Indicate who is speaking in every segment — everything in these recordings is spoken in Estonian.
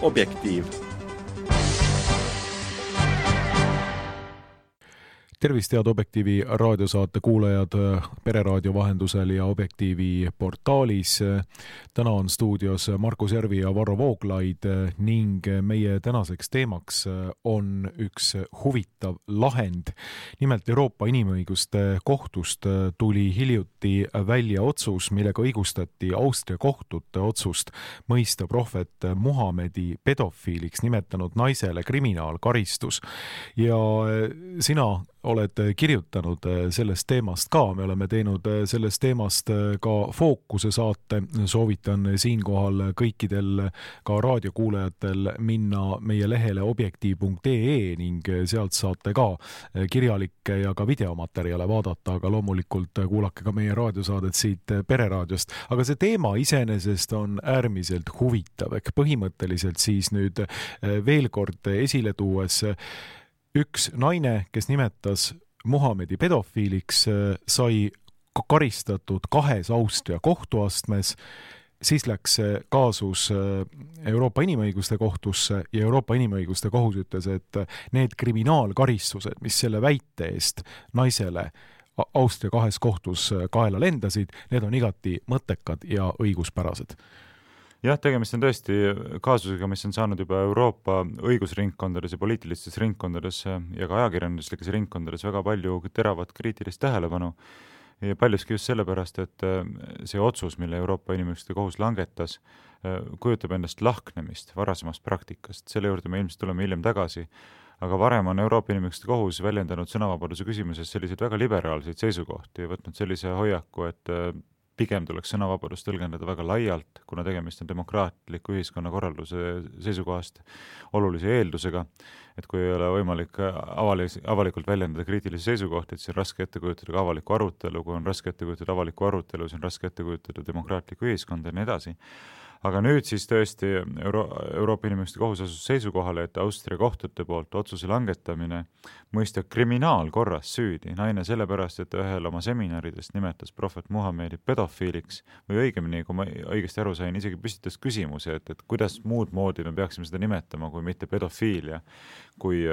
Speaker 1: Objektiiv.
Speaker 2: Tervist, head Objektiivi raadiosaate kuulajad Pereraadio vahendusel ja Objektiivi portaalis. Täna on stuudios Markus Järvi ja Varro Vooglaid ning meie tänaseks teemaks on üks huvitav lahend. Nimelt Euroopa Inimõiguste Kohtust tuli hiljuti välja otsus, millega õigustati Austria kohtute otsust mõista prohvet Muhamedi pedofiiliks nimetanud naisele kriminaalkaristus. Ja sina oled kirjutanud sellest teemast ka. Me oleme teinud sellest teemast ka fookuse saate. Soovitan siinkohal kõikidel ka raadiokuulajatel minna meie lehele objektiiv.ee ning sealt saate ka kirjalikke ja ka videomaterjale vaadata, aga loomulikult kuulake ka meie raadiosaadet siit Pereraadiost. Aga see teema iseenesest on äärmiselt huvitav. Põhimõtteliselt siis nüüd veel kord esile tuues üks naine, kes nimetas Muhamedi pedofiiliks, sai karistatud 2 Austria kohtuastmes, siis läks kaasus Euroopa Inimõiguste Kohtusse ja Euroopa Inimõiguste Kohus ütles, et need kriminaalkaristused, mis selle väite eest naisele Austria 2 kohtus kaela lendasid, need on igati mõttekad ja õiguspärased.
Speaker 3: Jah, tegemist on tõesti kaasusega, mis on saanud juba Euroopa õigusringkondades ja poliitilistes ringkondades ja ka ajakirjanduslikes ringkondades väga palju teravat kriitilist tähelepanu. Ja paljuski just sellepärast, et see otsus, mille Euroopa Inimõiguste Kohus langetas, kujutab endast lahknemist varasemast praktikast. Selle juurde me ilmselt tuleme hiljem tagasi. Aga varem on Euroopa Inimõiguste Kohus väljendanud sõnavabaduse küsimuses selliseid väga liberaalseid seisukohti ja võtnud sellise hoiaku, et pigem tuleks sõnavabadust tõlgendada väga laialt, kuna tegemist on demokraatliku ühiskonnakorralduse seisukohast olulise eeldusega, et kui ei ole võimalik avalikult väljendada kriitilisi seisukohti, et see on raske ette kujutada ka avalikku arutelu, kui on raske ette kujutada avalikku arutelu, siis on raske ette kujutada demokraatlikku ühiskonda ja nii edasi. Aga nüüd siis tõesti Euroopa Inimõiguste Kohus asus seisukohale, et Austria kohtute poolt otsuse langetamine mõista kriminaalkorras süüdi naine sellepärast, et ühel oma seminaridest nimetas prohvet Muhamedi pedofiiliks või õigemini, kui ma õigesti aru sain, isegi püstitas küsimuse, et kuidas muud moodi me peaksime seda nimetama kui mitte pedofiilia, kui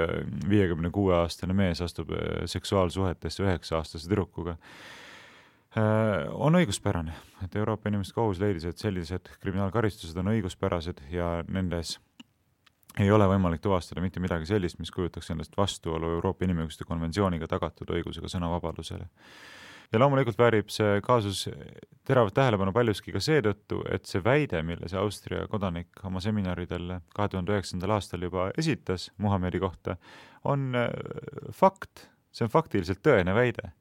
Speaker 3: 56-aastane mees astub seksuaalsuhetesse 9-aastase tüdrukuga. On õiguspärane, et Euroopa Inimõiguste Kohus leidis, et sellised kriminaalkaristused on õiguspärased ja nendes ei ole võimalik tuvastada mitte midagi sellist, mis kujutaks endast vastuolu Euroopa Inimõiguste konventsiooniga tagatud õigusega sõnavabadusele. Ja loomulikult väärib see kaasus teravat tähelepanu paljuski ka seetõttu, et see väide, mille see Austria kodanik oma seminaridel 2009. aastal juba esitas Muhamedi kohta, on fakt. See on faktiliselt tõene väide.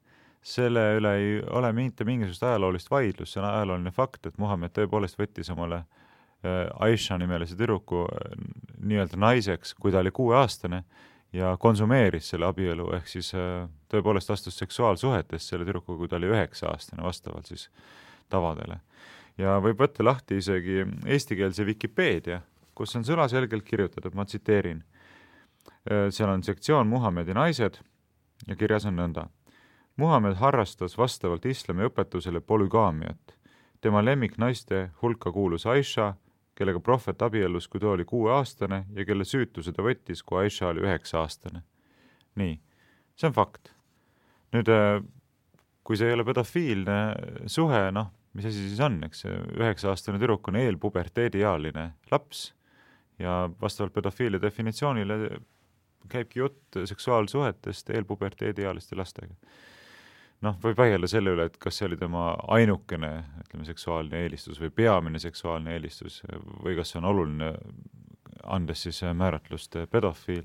Speaker 3: Selle üle ei ole mitte mingisugust ajaloolist vaidlust, see on ajalooline fakt, et Muhamed tõepoolest võttis omale Aisha nimelise tüdruku nii-öelda naiseks, kui ta oli 6-aastane ja konsumeeris selle abielu, ehk siis tõepoolest astus seksuaalsuhetes selle tüdruku, kui ta oli 9-aastane vastavalt siis tavadele. Ja võib võtta lahti isegi eestikeelse Wikipeedia, kus on sõnaselgelt kirjutatud, ma tsiteerin. Seal on sektsioon Muhamedi naised ja kirjas on nõnda. Muhamed harrastas vastavalt islami õpetusele polügaamiat. Tema lemmik naiste hulka kuulus Aisha, kellega prohvet abiellus, kui ta oli 6-aastane ja kelle süütuse ta võttis, kui Aisha oli 9-aastane. Nii, see on fakt. Nüüd, kui see ei ole pedofiilne suhe, mis asi siis on, eks 9-aastane tüdruk on eelpuberteediealine laps ja vastavalt pedofiilia definitsioonile käibki jutt seksuaalsuhetest eelpuberteediealiste lastega. Võib vaielda selle üle, et kas see oli tema ainukene, seksuaalne eelistus või peamine seksuaalne eelistus või kas see on oluline, andes siis määratlust pedofiil.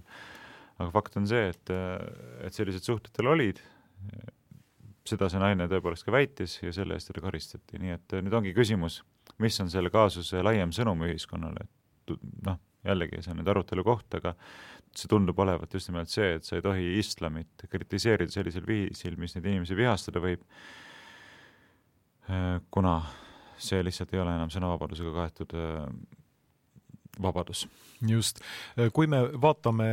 Speaker 3: Aga fakt on see, et sellised suhted tal olid, seda see naine tõepoolest ka väitis ja selle eest teda karistati. Nii et nüüd ongi küsimus, mis on selle kaasuse laiem sõnum ühiskonnale. Jällegi, see on nüüd arutelu koht, aga see tundub olevat just nimelt see, et sa ei tohi islamit kritiseerida sellisel viisil, mis neid inimesi vihastada võib, kuna see lihtsalt ei ole enam sõnavabadusega kaetud vabadus.
Speaker 2: Just. Kui me vaatame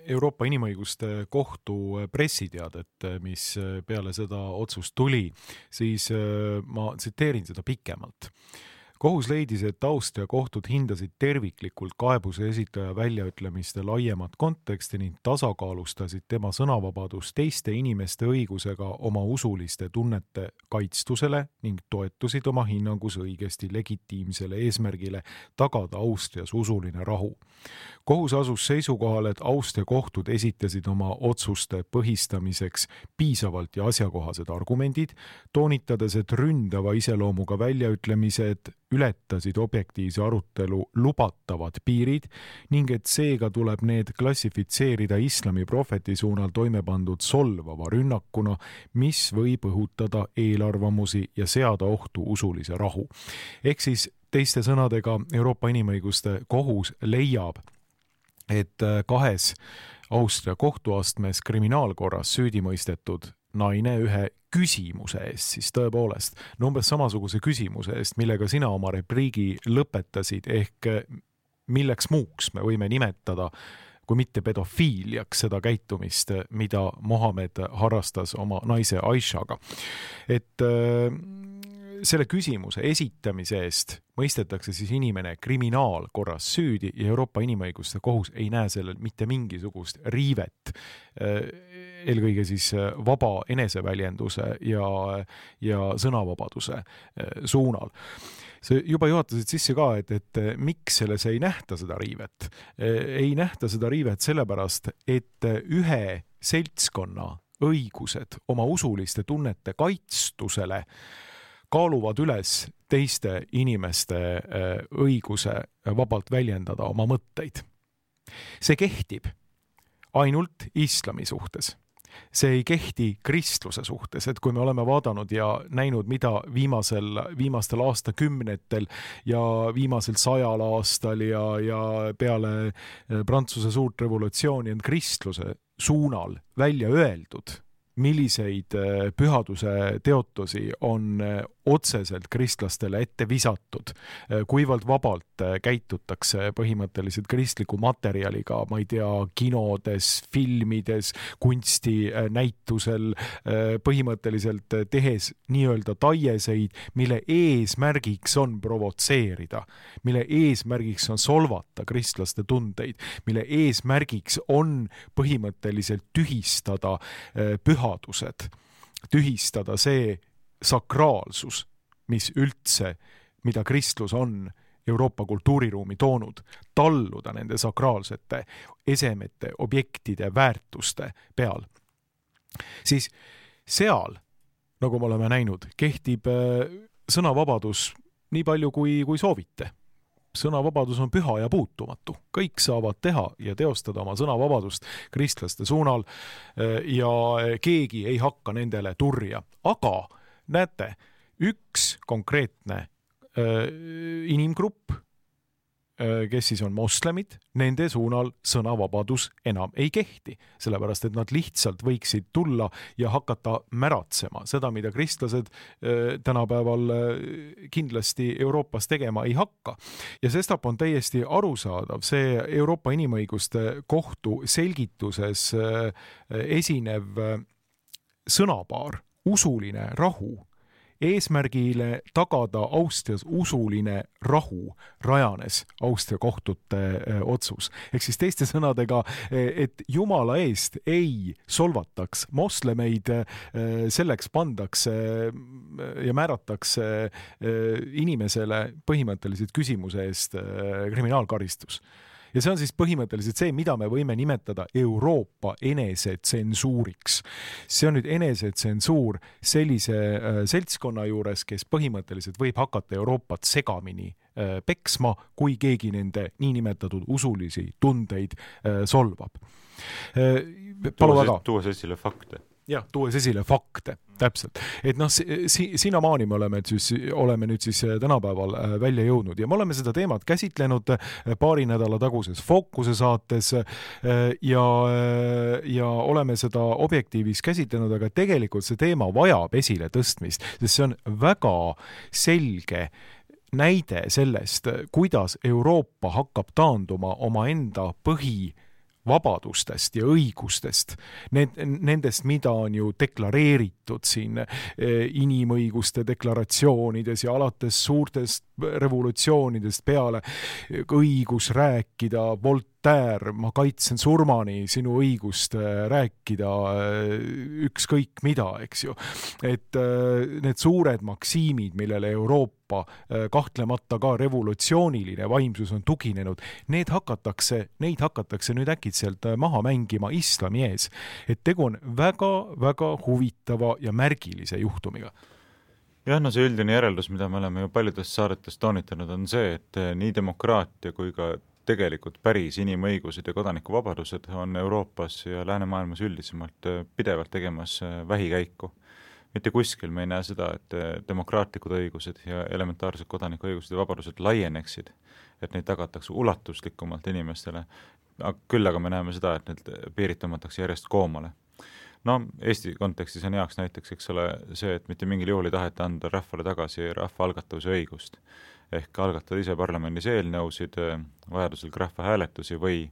Speaker 2: Euroopa Inimõiguste Kohtu pressiteadet, mis peale seda otsust tuli, siis ma tsiteerin seda pikemalt. kohus leidis, et Austria kohtud hindasid terviklikult kaebuse esitaja väljaütlemiste laiemat konteksti ning tasakaalustasid tema sõnavabadust teiste inimeste õigusega oma usuliste tunnete kaitstusele ning toetusid oma hinnangus õigesti legitiimsele eesmärgile tagada Austrias usuline rahu. Kohus asus seisukohal, et Austria kohtud esitasid oma otsuste põhistamiseks piisavalt ja asjakohased argumendid, toonitades, et ründava iseloomuga väljaütlemised ületasid objektiivse arutelu lubatavad piirid ning et seega tuleb need klassifitseerida islami prohveti suunal toime pandud solvava rünnakuna, mis võib õhutada eelarvamusi ja seada ohtu usulise rahu. Ehk siis teiste sõnadega Euroopa Inimõiguste Kohus leiab, et 2 Austria kohtuastmes kriminaalkorras süüdimõistetud naine ühe küsimuse eest, siis tõepoolest, umbes samasuguse küsimuse eest, millega sina oma repliigi lõpetasid, ehk milleks muuks me võime nimetada, kui mitte pedofiiliaks seda käitumist, mida Mohammed harrastas oma naise Aishaga. Et selle küsimuse esitamise eest mõistetakse siis inimene kriminaalkorras süüdi ja Euroopa Inimõiguste Kohus ei näe sellel mitte mingisugust riivet, eelkõige siis vaba eneseväljenduse ja sõnavabaduse suunal. See juba juhatasid sisse ka, et miks selles ei nähta seda riivet. Ei nähta seda riivet sellepärast, et ühe seltskonna õigused oma usuliste tunnete kaitstusele kaaluvad üles teiste inimeste õiguse vabalt väljendada oma mõtteid. See kehtib ainult islami suhtes. See ei kehti kristluse suhtes, et kui me oleme vaadanud ja näinud, mida viimastel aastakümnetel ja viimasel 100 aastal ja peale Prantsuse suurt revolutsiooni on kristluse suunal välja öeldud, milliseid pühaduse teotusi on otseselt kristlastele ette visatud, kuivalt vabalt käitutakse põhimõtteliselt kristliku materjaliga, ma ei tea, kinodes, filmides, kunstinäitusel, põhimõtteliselt tehes nii-öelda taieseid, mille eesmärgiks on provotseerida, mille eesmärgiks on solvata kristlaste tundeid, mille eesmärgiks on põhimõtteliselt tühistada pühadused, tühistada see sakraalsus, mis üldse, mida kristlus on Euroopa kultuuriruumi toonud, talluda nende sakraalsete esemete, objektide, väärtuste peal. Siis seal, nagu me oleme näinud, kehtib sõnavabadus nii palju kui soovite. Sõnavabadus on püha ja puutumatu. Kõik saavad teha ja teostada oma sõnavabadust kristlaste suunal ja keegi ei hakka nendele turja. Aga näete, üks konkreetne inimgrupp, kes siis on moslemid, nende suunal sõnavabadus enam ei kehti, sellepärast et nad lihtsalt võiksid tulla ja hakata märatsema seda, mida kristlased tänapäeval kindlasti Euroopas tegema ei hakka. Ja sestap on täiesti arusaadav see Euroopa Inimõiguste Kohtu selgituses esinev sõnapaar, usuline rahu, eesmärgile tagada Austrias usuline rahu rajanes Austria kohtute otsus. Ehk siis teiste sõnadega, et Jumala eest ei solvataks moslemeid, selleks pandakse ja määratakse inimesele põhimõtteliselt küsimuse eest kriminaalkaristus. Ja see on siis põhimõtteliselt see, mida me võime nimetada Euroopa enesetsensuuriks. See on nüüd enesetsensuur sellise seltskonna juures, kes põhimõtteliselt võib hakata Euroopat segamini peksma, kui keegi nende niinimetatud usulisi tundeid solvab.
Speaker 3: Tuues esile fakte.
Speaker 2: Jah, tuues esile fakte, täpselt. Et sinnamaani me oleme nüüd siis tänapäeval välja jõudnud ja me oleme seda teemat käsitlenud paari nädala taguses Fookuse saates ja oleme seda objektiivis käsitlenud, aga tegelikult see teema vajab esile tõstmist, sest see on väga selge näide sellest, kuidas Euroopa hakkab taanduma omaenda vabadustest ja õigustest, nendest, mida on ju deklareeritud siin inimõiguste deklaratsioonides ja alates suurtest revolutsioonidest peale, õigus rääkida, Voltaire, ma kaitsen surmani sinu õigust rääkida ükskõik mida, eks ju. Et need suured maksiimid, millele Euroopa kahtlemata ka revolutsiooniline vaimsus on tuginenud, neid hakatakse nüüd äkitselt maha mängima islami ees. Et tegu on väga huvitava ja märgilise juhtumiga.
Speaker 3: Jah, no see üldine järeldus, mida me oleme ju paljudest saadetest toonitanud, on see, et nii demokraatia kui ka tegelikult päris inimõigused ja kodanikuvabadused on Euroopas ja läänemaailmas üldisemalt pidevalt tegemas vähikäiku. Mitte kuskil me ei näe seda, et demokraatlikud õigused ja elementaarsed kodanikuõigused ja vabadused laieneksid, et neid tagatakse ulatuslikumalt inimestele. Küll aga me näeme seda, et need piirid tõmmatakse järjest koomale. No, Eesti kontekstis on heaks näiteks, eks ole, see, et mitte mingil juhul ei taheta anda rahvale tagasi rahvaalgatuse õigust. Ehk algatada ise parlamendis eelnõusid, vajadusel rahvahääletusi või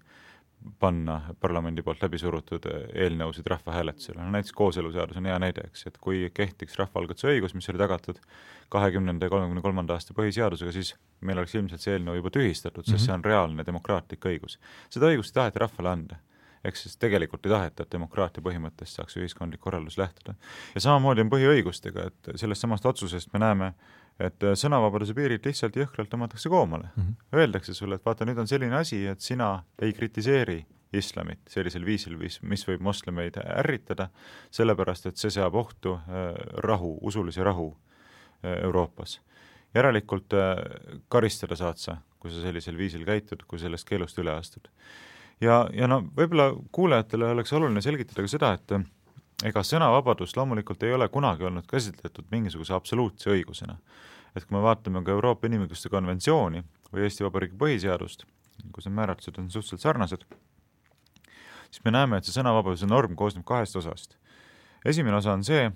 Speaker 3: panna parlamendi poolt läbi surutud eelnõusid rahvahääletusele. No, näiteks kooseluseadus on hea näide, eks, et kui kehtiks rahvaalgatuse õigus, mis oli tagatud 20. ja 33. aasta põhiseadusega, siis meil oleks ilmselt see eelnõu juba tühistatud, sest see on reaalne demokraatlik õigus. Seda õigust ei taheta rahvale anda. Ehk siis tegelikult ei taheta, et demokraatia põhimõttest saaks ühiskondlik korraldus lähtuda. Ja samamoodi on põhiõigustega, et sellest samast otsusest me näeme, et sõnavabaduse piirid lihtsalt jõhkralt tõmmatakse koomale. Öeldakse sulle, et vaata, nüüd on selline asi, et sina ei kritiseeri islamit sellisel viisil, mis võib moslemeid ärritada, sellepärast, et see seab ohtu rahu, usulise rahu Euroopas. Järelikult karistada saad sa, kui sa sellisel viisil käitud, kui sellest keelust üle astud. Ja no võib-olla kuulajatele oleks oluline selgitada ka seda, et ega sõnavabadus loomulikult ei ole kunagi olnud käsitletud mingisuguse absoluutse õigusena. Et kui me vaatame ka Euroopa Inimõiguste konventsiooni või Eesti Vabariigi põhiseadust, kus need määratlused on suhteliselt sarnased, siis me näeme, et see sõnavabaduse norm koosneb 2 osast. Esimene osa on see,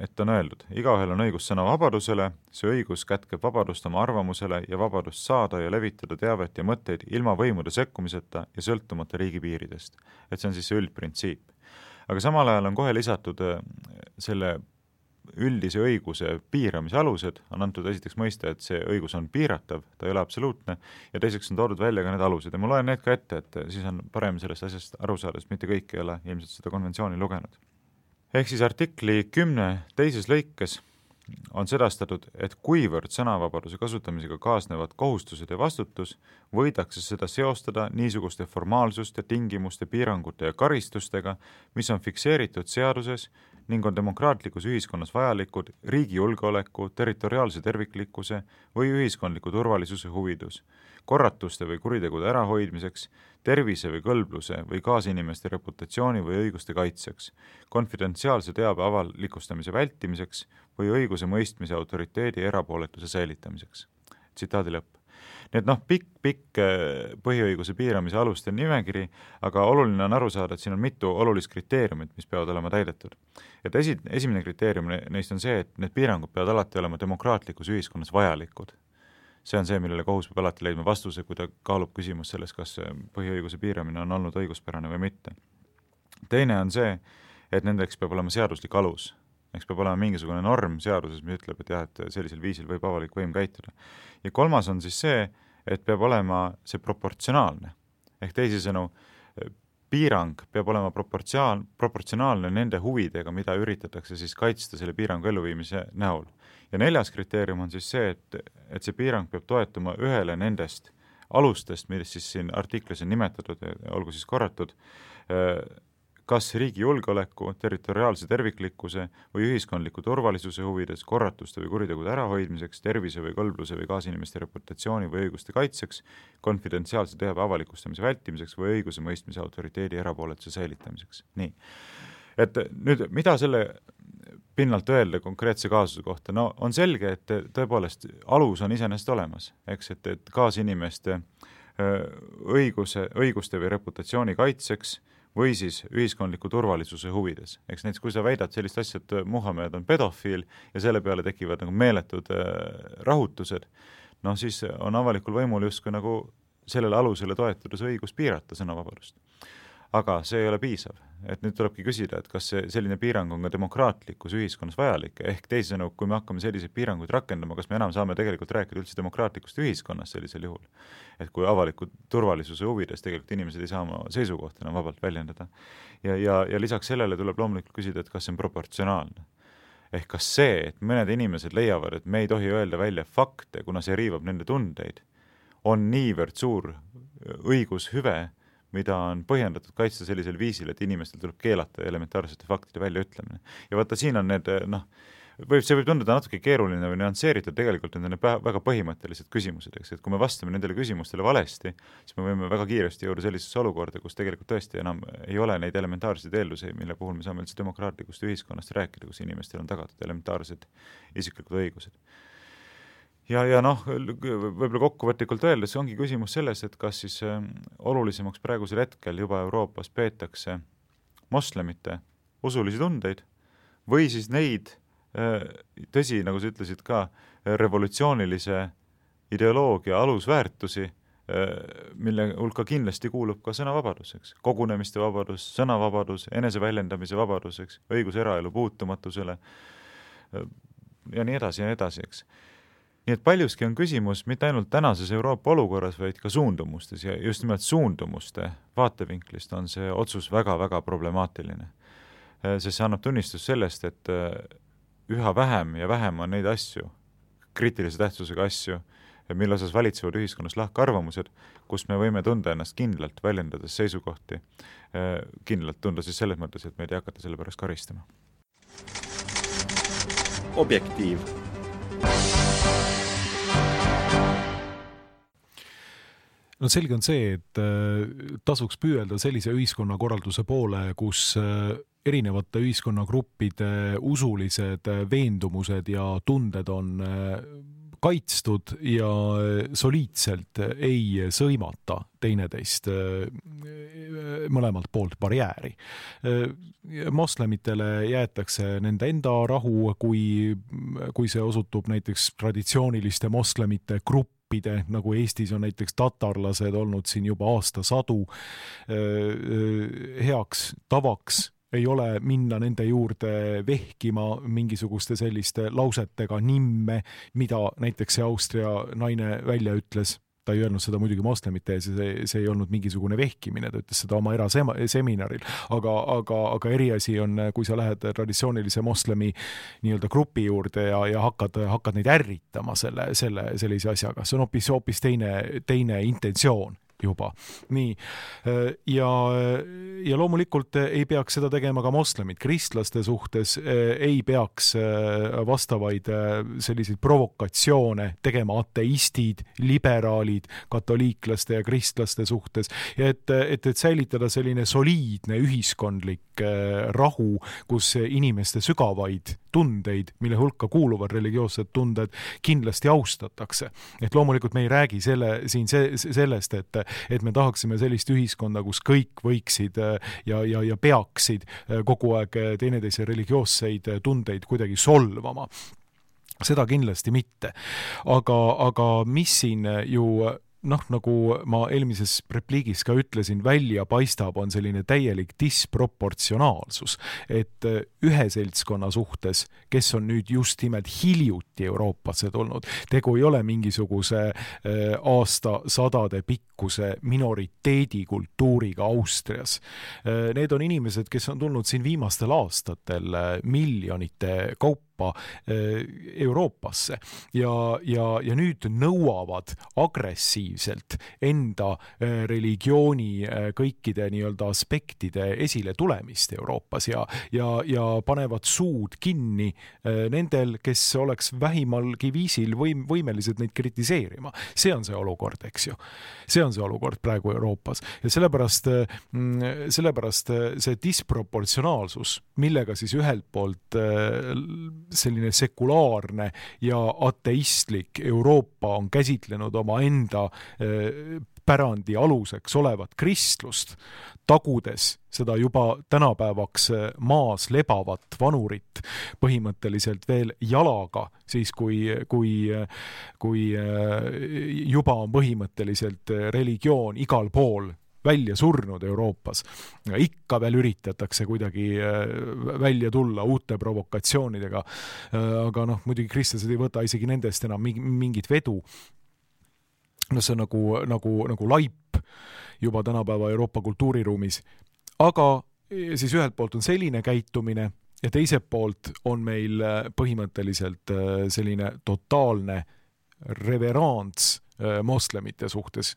Speaker 3: et on öeldud, igaühel on õigus sõnavabadusele, see õigus kätkeb vabadust oma arvamusele ja vabadust saada ja levitada teavet ja mõtteid ilma võimude sekkumiseta ja sõltumata riigi piiridest. Et see on siis see üldprintsiip. Aga samal ajal on kohe lisatud selle üldise õiguse piiramise alused, on antud esiteks mõiste, et see õigus on piiratav, ta ei ole absoluutne, ja teiseks on toodud välja ka need alused. Ja ma loen need ka ette, et siis on parem sellest asjast aru saada, sest mitte kõik ei ole ilmselt seda konventsiooni lugenud. Ehk siis artikli 10 teises lõikes on sedastatud, et kuivõrd sõnavabaduse kasutamisega kaasnevad kohustused ja vastutus, võidakse seda seostada niisuguste formaalsuste, tingimuste, piirangute ja karistustega, mis on fikseeritud seaduses ning on demokraatlikus ühiskonnas vajalikud riigi julgeoleku, territoriaalse terviklikkuse või ühiskondliku turvalisuse huvidus, korratuste või kuritegude ärahoidmiseks, tervise või kõlbluse või kaasinimeste reputatsiooni või õiguste kaitseks, konfidentsiaalse teabe avalikustamise vältimiseks või õiguse mõistmise autoriteedi erapooletuse säilitamiseks. Tsitaadi lõpp. Nii et pikk põhiõiguse piiramise aluste nimekiri, aga oluline on aru saada, et siin on mitu olulist kriteeriumit, mis peavad olema täidetud. Et esimene kriteerium neist on see, et need piirangud peavad alati olema demokraatlikus ühiskonnas vajalikud. See on see, millele kohus peab alati leidma vastuse, kui ta kaalub küsimus selles, kas põhiõiguse piiramine on olnud õiguspärane või mitte. Teine on see, et nendeks peab olema seaduslik alus. Eks peab olema mingisugune norm seaduses, mis ütleb, et jah, et sellisel viisil võib avalik võim käituda. Ja kolmas on siis see, et peab olema see proportsionaalne. Ehk teisisõnu, piirang peab olema proportsionaalne nende huvidega, mida üritatakse siis kaitsta selle piirangu elluviimise näol. Ja 4. kriteerium on siis see, et see piirang peab toetuma ühele nendest alustest, millest siis siin artiklis on nimetatud, olgu siis korratud, kas riigi julgeoleku, territoriaalse terviklikkuse või ühiskondliku turvalisuse huvides, korratuste või kuritegude ärahoidmiseks, tervise või kõlbluse või kaasinimeste reputatsiooni või õiguste kaitseks, konfidentsiaalse teabe avalikustamise vältimiseks või õiguse mõistmise autoriteedi erapooletuse säilitamiseks. Nii. Et nüüd, mida selle pinnalt öelda konkreetse kaasuse kohta? No on selge, et tõepoolest alus on iseenesest olemas, eks, et kaasinimeste õiguste või reputatsiooni kaitseks või siis ühiskondliku turvalisuse huvides. Eks näiteks, kui sa väidad sellist asja, et Muhamed on pedofiil ja selle peale tekivad nagu meeletud rahutused, no siis on avalikul võimul justkui nagu sellele alusele toetudes õigus piirata sõnavabadust. aga see ei ole piisav. Et nüüd tulebki küsida, et kas selline piirang on ka demokraatlikus ühiskonnas vajalik, ehk teisisõnu, kui me hakkame selliseid piiranguid rakendama, kas me enam saame tegelikult rääkida üldse demokraatlikust ühiskonnast sellisel juhul, et kui avaliku turvalisuse huvides tegelikult inimesed ei saa oma seisukohta enam vabalt väljendada. Ja lisaks sellele tuleb loomulikult küsida, et kas see on proportsionaalne. Ehk kas see, et mõned inimesed leiavad, et me ei tohi öelda välja fakte, kuna see riivab nende tundeid, on niivõrd suur õigushüve, mida on põhjendatud kaitsta sellisel viisil, et inimestel tuleb keelata elementaarsete faktide väljaütlemine. Ja vaata, siin on need, see võib tunduda natuke keeruline või nüansseeritud, tegelikult need on väga põhimõttelised küsimused, eks, et kui me vastame nendele küsimustele valesti, siis me võime väga kiiresti jõuda sellisesse olukorda, kus tegelikult tõesti enam ei ole neid elementaarseid eeldusi, mille puhul me saame üldse demokraatlikust ühiskonnast rääkida, kus inimestel on tagatud elementaarsed isiklikud õigused. Ja võib-olla kokkuvõtlikult öeldes ongi küsimus selles, et kas siis olulisemaks praegusel hetkel juba Euroopas peetakse moslemite usulisi tundeid või siis neid, tõsi, nagu sa ütlesid ka, revolutsioonilise ideoloogia alusväärtusi, mille hulka kindlasti kuulub ka sõnavabaduseks, kogunemiste vabadus, sõnavabadus, eneseväljendamise vabaduseks, õigus eraelu puutumatusele ja nii edasi, eks. Nii et paljuski on küsimus mitte ainult tänases Euroopa olukorras, vaid ka suundumustes ja just nimelt suundumuste vaatevinklist on see otsus väga-väga problemaatiline. Sest see annab tunnistus sellest, et üha vähem ja vähem on neid asju, kriitilise tähtsusega asju, mille osas valitsevad ühiskonnas lahkarvamused, kus me võime tunda ennast kindlalt väljendades seisukohti, kindlalt tunda siis selles mõttes, et meid ei hakata selle pärast karistama.
Speaker 1: Objektiiv.
Speaker 2: No selge on see, et tasuks püüelda sellise ühiskonnakorralduse poole, kus erinevate ühiskonnagruppide usulised veendumused ja tunded on kaitstud ja soliidselt ei sõimata teineteist mõlemalt poolt barjääri. Moslemitele jäetakse nende enda rahu, kui see osutub näiteks traditsiooniliste moslemite gruppide, nagu Eestis on näiteks tatarlased olnud siin juba aastasadu, heaks tavaks ei ole minna nende juurde vehkima mingisuguste selliste lausetega nimme, mida näiteks see Austria naine välja ütles. Ta ei öelnud seda muidugi moslemite ees, see ei olnud mingisugune vehkimine, ta ütles seda oma eraseminaril, aga eriasi on, kui sa lähed traditsioonilise moslemi nii-öelda grupi juurde ja hakkad neid ärritama sellise asjaga. See on hoopis teine intentsioon juba. Nii. Ja loomulikult ei peaks seda tegema ka moslemid. Kristlaste suhtes ei peaks vastavaid selliseid provokatsioone tegema ateistid, liberaalid, katoliiklaste ja kristlaste suhtes. Ja et säilitada selline soliidne ühiskondlik rahu, kus inimeste sügavaid tundeid, mille hulka kuuluvad religioossed tunded, kindlasti austatakse. Et loomulikult me ei räägi sellest, et me tahaksime sellist ühiskonda, kus kõik võiksid ja peaksid kogu aeg teineteise religioosseid tundeid kuidagi solvama. Seda kindlasti mitte. Aga mis siin ju nagu ma eelmises repliigis ka ütlesin, välja paistab, on selline täielik disproportsionaalsus, et ühe seltskonna suhtes, kes on nüüd just nimelt hiljuti Euroopasse tulnud, tegu ei ole mingisuguse aastasadade pikkuse minoriteedikultuuriga Austrias. Need on inimesed, kes on tulnud siin viimastel aastatel miljonite kaupa Euroopasse ja nüüd nõuavad agressiivselt enda religiooni kõikide nii-öelda aspektide esile tulemist Euroopas ja panevad suud kinni nendel, kes oleks vähimalgi viisil võimelised neid kritiseerima. See on see olukord, eks ju. See on see olukord praegu Euroopas ja sellepärast see disproportsionaalsus, millega siis ühelt poolt selline sekulaarne ja ateistlik Euroopa on käsitlenud oma enda pärandi aluseks olevat kristlust, tagudes seda juba tänapäevaks maas lebavat vanurit põhimõtteliselt veel jalaga, siis kui juba on põhimõtteliselt religioon igal pool välja surnud Euroopas. Ikka veel üritatakse kuidagi välja tulla uute provokatsioonidega, aga muidugi kristlased ei võta isegi nendest enam mingit vedu. See on nagu laip juba tänapäeva Euroopa kultuuriruumis. Aga siis ühelt poolt on selline käitumine ja teiselt poolt on meil põhimõtteliselt selline totaalne reverants moslemite suhtes.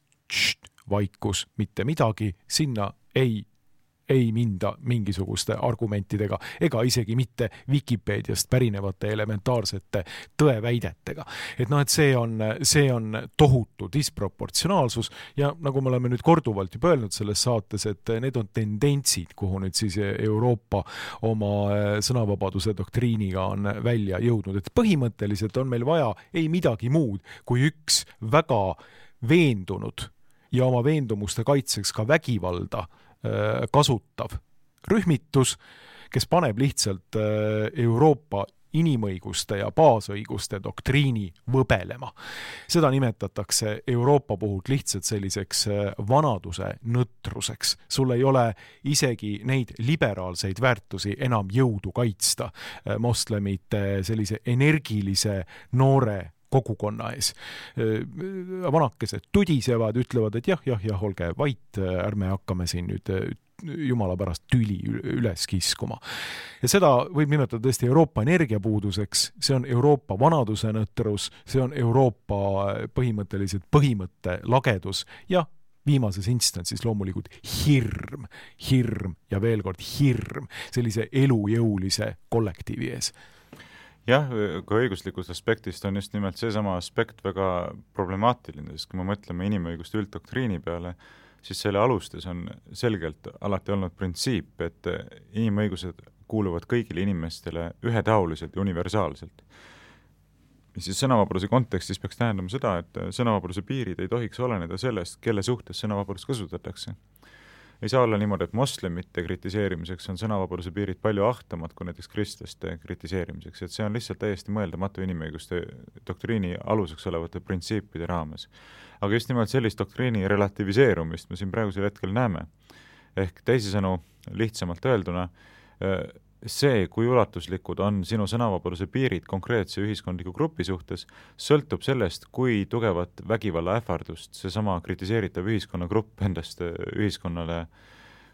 Speaker 2: Vaikus, mitte midagi, sinna ei minda mingisuguste argumentidega ega isegi mitte Wikipediast pärinevate elementaarsete tõeväidetega. Et see on tohutu disproportsionaalsus ja nagu me oleme nüüd korduvalt juba öelnud selles saates, et need on tendentsid, kuhu nüüd siis Euroopa oma sõnavabaduse doktriiniga on välja jõudnud. Et põhimõtteliselt on meil vaja ei midagi muud kui üks väga veendunud ja oma veendumuste kaitseks ka vägivalda kasutav rühmitus, kes paneb lihtsalt Euroopa inimõiguste ja baasõiguste doktriini võbelema. Seda nimetatakse Euroopa puhul lihtsalt selliseks vanaduse nõtruseks. Sul ei ole isegi neid liberaalseid väärtusi enam jõudu kaitsta moslemite sellise energilise noore kogukonna ees. Vanakesed tudisevad, ütlevad, et jah, olge vait, ärme hakkame siin nüüd jumala pärast tüli üles kiskuma. Ja seda võib nimetada tõesti Euroopa energiapuuduseks, see on Euroopa vanaduse nõtrus, see on Euroopa põhimõtteliselt põhimõtte lagedus ja viimases instantsis loomulikult hirm ja veel kord hirm sellise elujõulise kollektiivi ees.
Speaker 3: Jah, ka õiguslikust aspektist on just nimelt seesama aspekt väga problemaatiline, sest kui me mõtleme inimõiguste ülddoktriini peale, siis selle alustes on selgelt alati olnud printsiip, et inimõigused kuuluvad kõigile inimestele ühetaoliselt ja universaalselt. Siis sõnavabaduse kontekstis peaks tähendama seda, et sõnavabaduse piirid ei tohiks oleneda sellest, kelle suhtes sõnavabadust kasutatakse. Ei saa olla niimoodi, et moslemite kritiseerimiseks on sõnavabaduse piirid palju ahtamad kui näiteks kristlaste kritiseerimiseks, et see on lihtsalt täiesti mõeldamatu inimõiguste doktriini aluseks olevate printsiipide raames. Aga just nimelt sellist doktriini relativiseerumist me siin praegusel hetkel näeme. Ehk teisisõnu lihtsamalt öelduna, see, kui ulatuslikud on sinu sõnavabaduse piirid konkreetse ühiskondliku grupi suhtes, sõltub sellest, kui tugevat vägivalla ähvardust seesama kritiseeritav ühiskonnagrupp endast ühiskonnale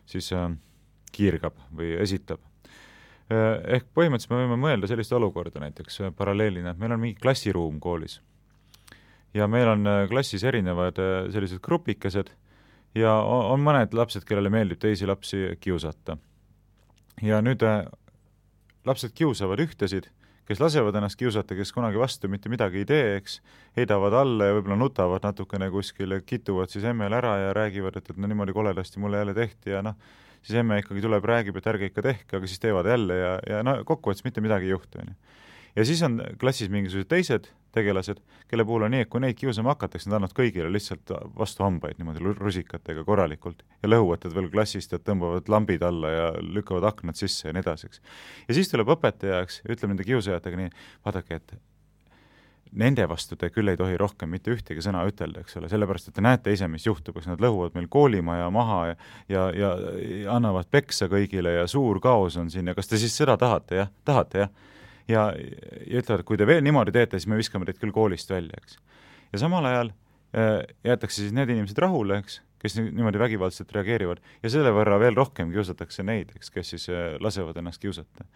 Speaker 3: siis kiirgab või esitab. Ehk põhimõtteliselt me võime mõelda sellist olukorda näiteks paralleelina, et meil on mingi klassiruum koolis ja meil on klassis erinevad sellised grupikesed ja on mõned lapsed, kellele meeldib teisi lapsi kiusata. Ja nüüd lapsed kiusavad ühtesid, kes lasevad ennast kiusata, kes kunagi vastu mitte midagi ei tee, eks, heidavad alla ja võib-olla nutavad natukene kuskil, kituvad siis emmel ära ja räägivad, et no niimoodi koledasti mulle jälle tehti ja siis emme ikkagi tuleb, räägib, et ärge ikka tehke, aga siis teevad jälle ja kokkuvõttes mitte midagi ei juhtu. Ja siis on klassis mingisugused teised tegelased, kelle puhul on nii, et kui neid kiusama hakatakse, nad annavad kõigile lihtsalt vastu hambaid niimoodi rusikatega korralikult ja lõhuvad veel klassist ja tõmbavad lambid alla ja lükkavad aknad sisse ja nii edaseks. Ja siis tuleb õpetajaks ja ütleb nende kiusajatega nii, vaadake, et nende vastu te küll ei tohi rohkem mitte ühtegi sõna ütelda, eks ole, sellepärast, et te näete ise, mis juhtub, eks nad lõhuvad meil koolimaja maha ja annavad peksa kõigile ja suur kaos on siin ja kas te siis seda tahate, jah? Tahate, jah? Ja ütlevad, et kui te veel niimoodi teete, siis me viskame teid küll koolist välja, eks. Ja samal ajal jäetakse siis need inimesed rahule, eks, kes niimoodi vägivaldselt reageerivad ja selle võrra veel rohkem kiusatakse neid, eks, kes siis lasevad ennast kiusata.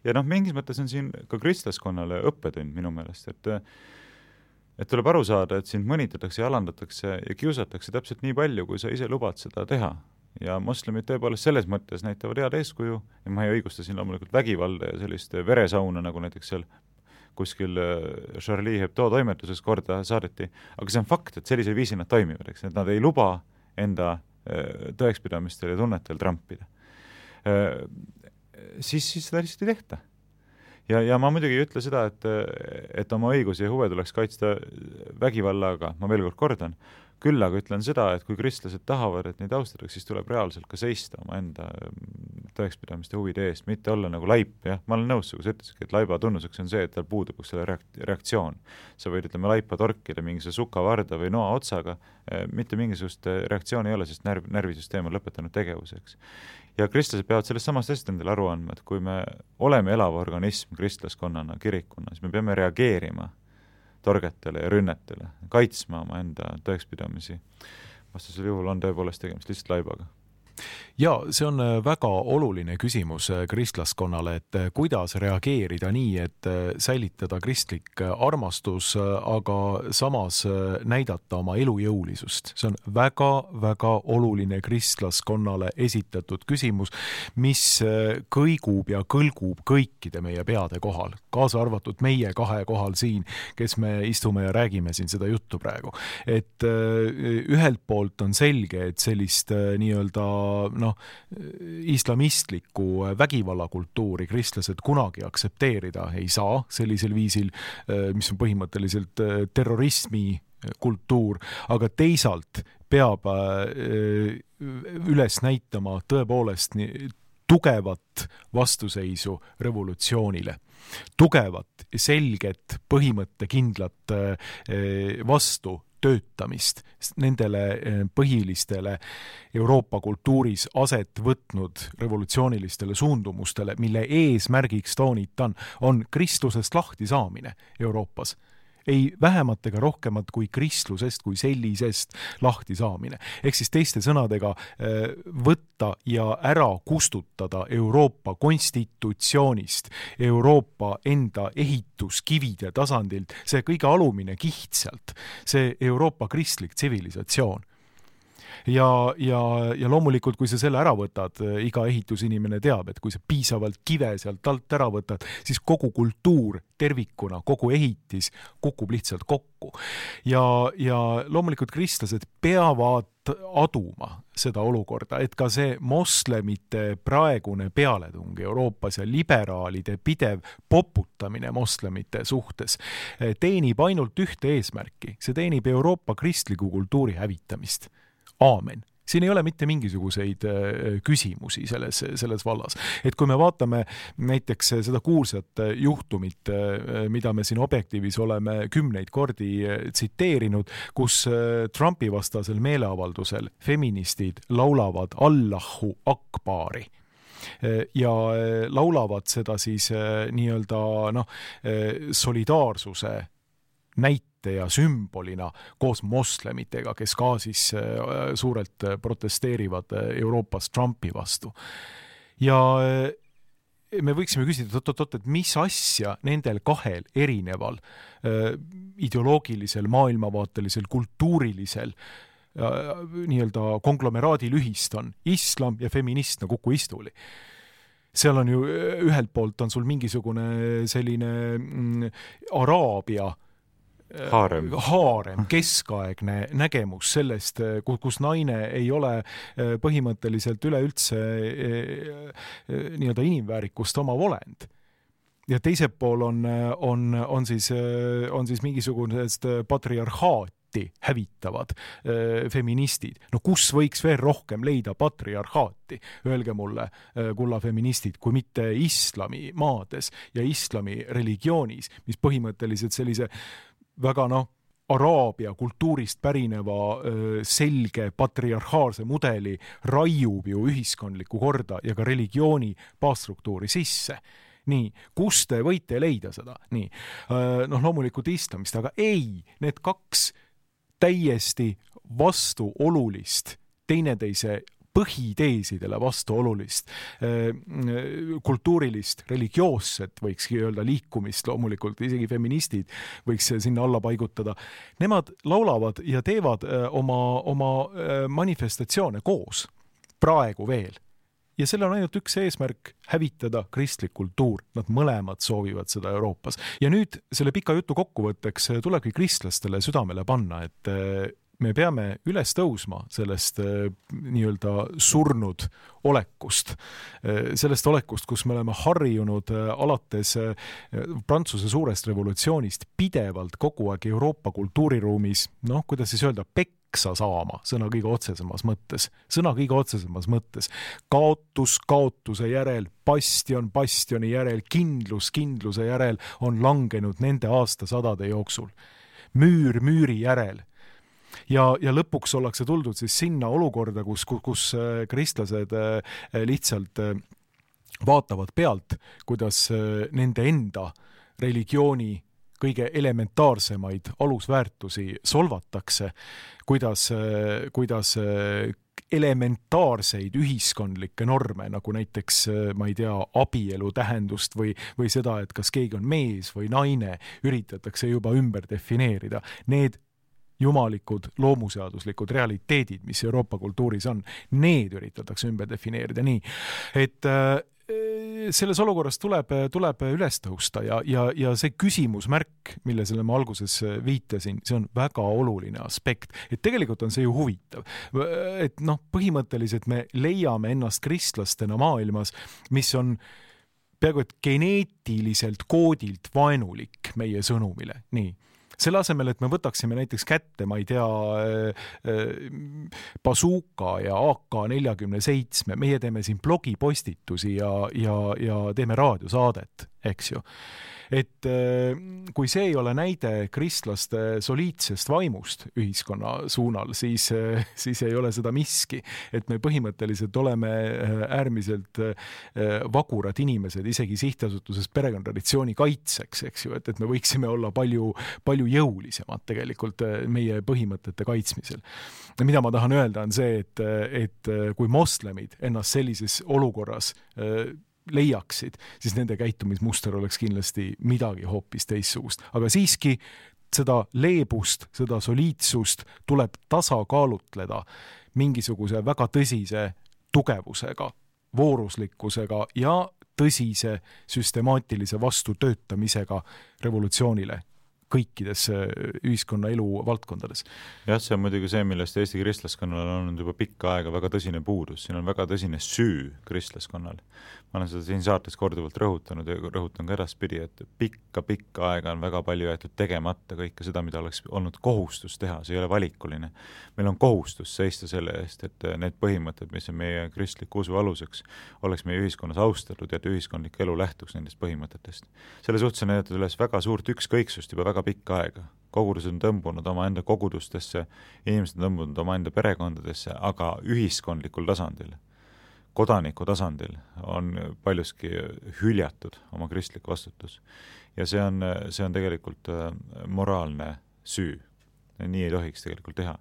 Speaker 3: Ja mingis mõttes on siin ka kristlaskonnale õppetund minu meelest, et tuleb aru saada, et sind mõnitatakse ja alandatakse ja kiusatakse täpselt nii palju, kui sa ise lubad seda teha. Ja moslemid tõepoolest selles mõttes näitavad head eeskuju ja ma ei õigusta siin loomulikult vägivalda ja sellist veresauna, nagu näiteks seal kuskil Charlie Hebdo toimetuses korda saadeti, aga see on fakt, et sellisel viisil nad toimivad, eks, et nad ei luba enda tõekspidamistel ja tunnetel trampida. Siis seda lihtsalt ei tehta. Ja ma muidugi ei ütle seda, et oma õigusi ja huve tuleks kaitsta vägivallaga, ma veel kord kordan, küll aga ütlen seda, et kui kristlased tahavad, et neid austatakse, siis tuleb reaalselt ka seista oma enda tõekspidamiste huvide eest, mitte olla nagu laip, jah, ma olen nõus, kui sa ütlesidki, et laiba tunnuseks on see, et tal puudub selle reaktsioon. Sa võid, ütleme, laipa torkida mingisuguse sukavarda või noa otsaga, mitte mingisugust reaktsiooni ei ole, sest närvisüsteem on lõpetanud tegevuseks. Ja kristlased peavad sellest samast asjast endale aru andma, et kui me oleme elav organism kristlaskonnana, kirikuna, siis me peame reageerima torgetele ja rünnetele, kaitsma oma enda tõekspidamisi. Vastasel juhul on tõepoolest tegemist lihtsalt laibaga.
Speaker 2: Ja see on väga oluline küsimus kristlaskonnale, et kuidas reageerida nii, et säilitada kristlik armastus, aga samas näidata oma elujõulisust. See on väga oluline kristlaskonnale esitatud küsimus, mis kõigub ja kõlgub kõikide meie peade kohal, kaasa arvatud meie kahe kohal siin, kes me istume ja räägime siin seda juttu praegu. Et ühelt poolt on selge, et sellist nii-öelda islamistlikku vägivallakultuuri kristlased kunagi aktsepteerida ei saa sellisel viisil, mis on põhimõtteliselt terrorismi kultuur, aga teisalt peab üles näitama tõepoolest tugevat vastuseisu revolutsioonile. Tugevat, selget, põhimõttekindlat vastu töötamist nendele põhilistele Euroopa kultuuris aset võtnud revolutsioonilistele suundumustele, mille eesmärgiks toonitan on kristlusest lahti saamine Euroopas. Ei vähemat ega rohkemat kui kristlusest kui sellisest lahti saamine. Ehk siis teiste sõnadega võtta ja ära kustutada Euroopa konstitutsioonist, Euroopa enda ehituskivide tasandilt, see kõige alumine kiht sealt, see Euroopa kristlik tsivilisatsioon. Ja loomulikult, kui sa selle ära võtad, iga ehitusinimene teab, et kui sa piisavalt kive sealt alt ära võtad, siis kogu kultuur tervikuna, kogu ehitis kukub lihtsalt kokku. Ja loomulikult kristlased peavad aduma seda olukorda, et ka see moslemite praegune pealetung Euroopas ja liberaalide pidev poputamine moslemite suhtes teenib ainult ühte eesmärki. See teenib Euroopa kristliku kultuuri hävitamist. Aamen. Siin ei ole mitte mingisuguseid küsimusi selles vallas. Et kui me vaatame näiteks seda kuulsat juhtumit, mida me siin Objektiivis oleme 10 kordi tsiteerinud, kus Trumpi vastasel meeleavaldusel feministid laulavad Allahu Akbari ja laulavad seda siis nii-öelda solidaarsuse näite ja sümbolina koos moslemitega, kes ka siis suurelt protesteerivad Euroopas Trumpi vastu. Ja me võiksime küsida, et mis asja nendel kahel erineval ideoloogilisel, maailmavaatelisel, kultuurilisel nii-öelda konglomeraadil ühist on islam ja feminist nagu Kuku istuli. Seal on ju ühelt poolt on sul mingisugune selline Araabia haarem, keskaegne nägemus sellest, kus naine ei ole põhimõtteliselt üleüldse nii-öelda inimväärikust oma olend. Ja teiselt pool on siis mingisugusest patriarhaati hävitavad feministid. No kus võiks veel rohkem leida patriarhaati? Öelge mulle, kulla feministid, kui mitte islami maades ja islami religioonis, mis põhimõtteliselt sellise väga Araabia kultuurist pärineva selge patriarhaalse mudeli raiub ju ühiskondlikku korda ja ka religiooni baasstruktuuri sisse. Nii, kus te võite leida seda? Nii, loomulikult islamist, aga ei, need kaks täiesti vastuolulist, teineteise põhiteesidele vastuolulist, kultuurilist, religioosset, võikski öelda liikumist, loomulikult isegi feministid võiks sinna alla paigutada. Nemad laulavad ja teevad oma manifestatsioone koos, praegu veel. Ja selle on ainult üks eesmärk hävitada kristlik kultuur. Nad mõlemad soovivad seda Euroopas. Ja nüüd selle pika jutu kokkuvõtteks tulebki kristlastele südamele panna, et me peame üles tõusma sellest nii-öelda surnud olekust. Sellest olekust, kus me oleme harjunud alates Prantsuse suurest revolutsioonist pidevalt kogu aeg Euroopa kultuuriruumis, kuidas siis öelda, peksa saama, sõna kõige otsesemas mõttes. Kaotus kaotuse järel, bastion bastioni järel, kindluse järel on langenud nende aastasadade jooksul. Müür müüri järel. Ja lõpuks ollakse tuldud siis sinna olukorda, kus kristlased lihtsalt vaatavad pealt, kuidas nende enda religiooni kõige elementaarsemaid alusväärtusi solvatakse, kuidas elementaarseid ühiskondlikke norme, nagu näiteks, ma ei tea, abielu tähendust või seda, et kas keegi on mees või naine, üritatakse juba ümber defineerida. Need jumalikud loomuseaduslikud realiteedid, mis Euroopa kultuuris on, need üritatakse ümber defineerida nii, et selles olukorras tuleb üles tõusta ja see küsimusmärk, millele ma alguses viitasin, see on väga oluline aspekt, et tegelikult on see ju huvitav, et põhimõtteliselt me leiame ennast kristlastena maailmas, mis on peaaegu et geneetiliselt koodilt vaenulik meie sõnumile, nii. Selle asemel, et me võtaksime näiteks kätte, ma ei tea, bazooka ja AK-47, meie teeme siin blogipostitusi ja teeme raadiosaadet, eks ju. Et kui see ei ole näide kristlaste soliidsest vaimust ühiskonna suunal, siis ei ole seda miski, et me põhimõtteliselt oleme äärmiselt vagurad inimesed, isegi sihtasutuses perekonnatraditsiooni kaitseks, eks ju, et me võiksime olla palju jõulisemad tegelikult meie põhimõtete kaitsmisel. Mida ma tahan öelda on see, et kui moslemid ennast sellises olukorras leiaksid, siis nende käitumismuster oleks kindlasti midagi hoopis teissugust. Aga siiski seda leebust, seda soliidsust tuleb tasakaalutleda mingisuguse väga tõsise tugevusega, vooruslikkusega ja tõsise süstemaatilise vastutöötamisega revolutsioonile kõikides ühiskonna elu valdkondades.
Speaker 3: Jah, see on muidugi see, millest Eesti kristlaskonnal on olnud juba pikka aega väga tõsine puudus. Siin on väga tõsine süü kristlaskonnal. Ma olen seda siin saates korduvalt rõhutanud ja rõhutan ka edaspidi, et pikka aega on väga palju jäetud tegemata kõike seda, mida oleks olnud kohustus teha. See ei ole valikuline. Meil on kohustus seista selle eest, et need põhimõtted, mis on meie kristliku usu aluseks, oleks meie ühiskonnas austatud ja et ühiskondlik elu lähtuks nendest põhimõtetest. Selle suhtes on näidatud üles väga suurt ükskõiksust juba väga pikka aega. Kogudused on tõmbunud oma enda kogudustesse, inimesed on tõmbunud oma enda perekondadesse, aga ühiskondlikul tasandil, kodaniku tasandil on paljuski hüljatud oma kristlik vastutus. Ja see on tegelikult moraalne süü. Nii ei tohiks tegelikult teha.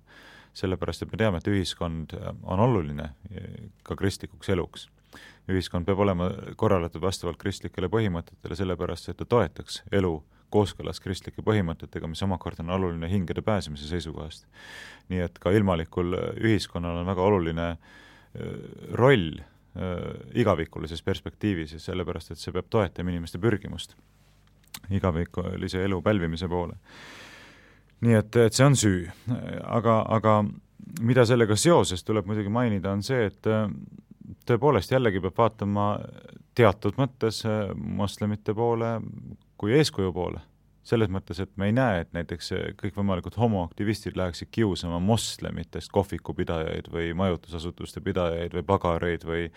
Speaker 3: Sellepärast, et me teame, et ühiskond on oluline ka kristlikuks eluks. Ühiskond peab olema korralatud vastavalt kristlikele põhimõtetele, sellepärast, et ta toetaks elu kooskõlas kristlike põhimõtetega, mis omakorda on oluline hingede pääsemise seisukohast. Nii et ka ilmalikul ühiskonnal on väga oluline roll igavikulises perspektiivis ja sellepärast, et see peab toetama inimeste pürgimust igavikulise elu pälvimise poole. Nii et see on süü. Aga mida sellega seoses tuleb muidugi mainida on see, et tõepoolest jällegi peab vaatama teatud mõttes moslemite poole kui eeskuju poole. Selles mõttes, et me ei näe, et näiteks kõikvõimalikud homoaktivistid läheksid kiusama moslemitest kohvikupidajaid või majutusasutuste pidajaid või pagareid või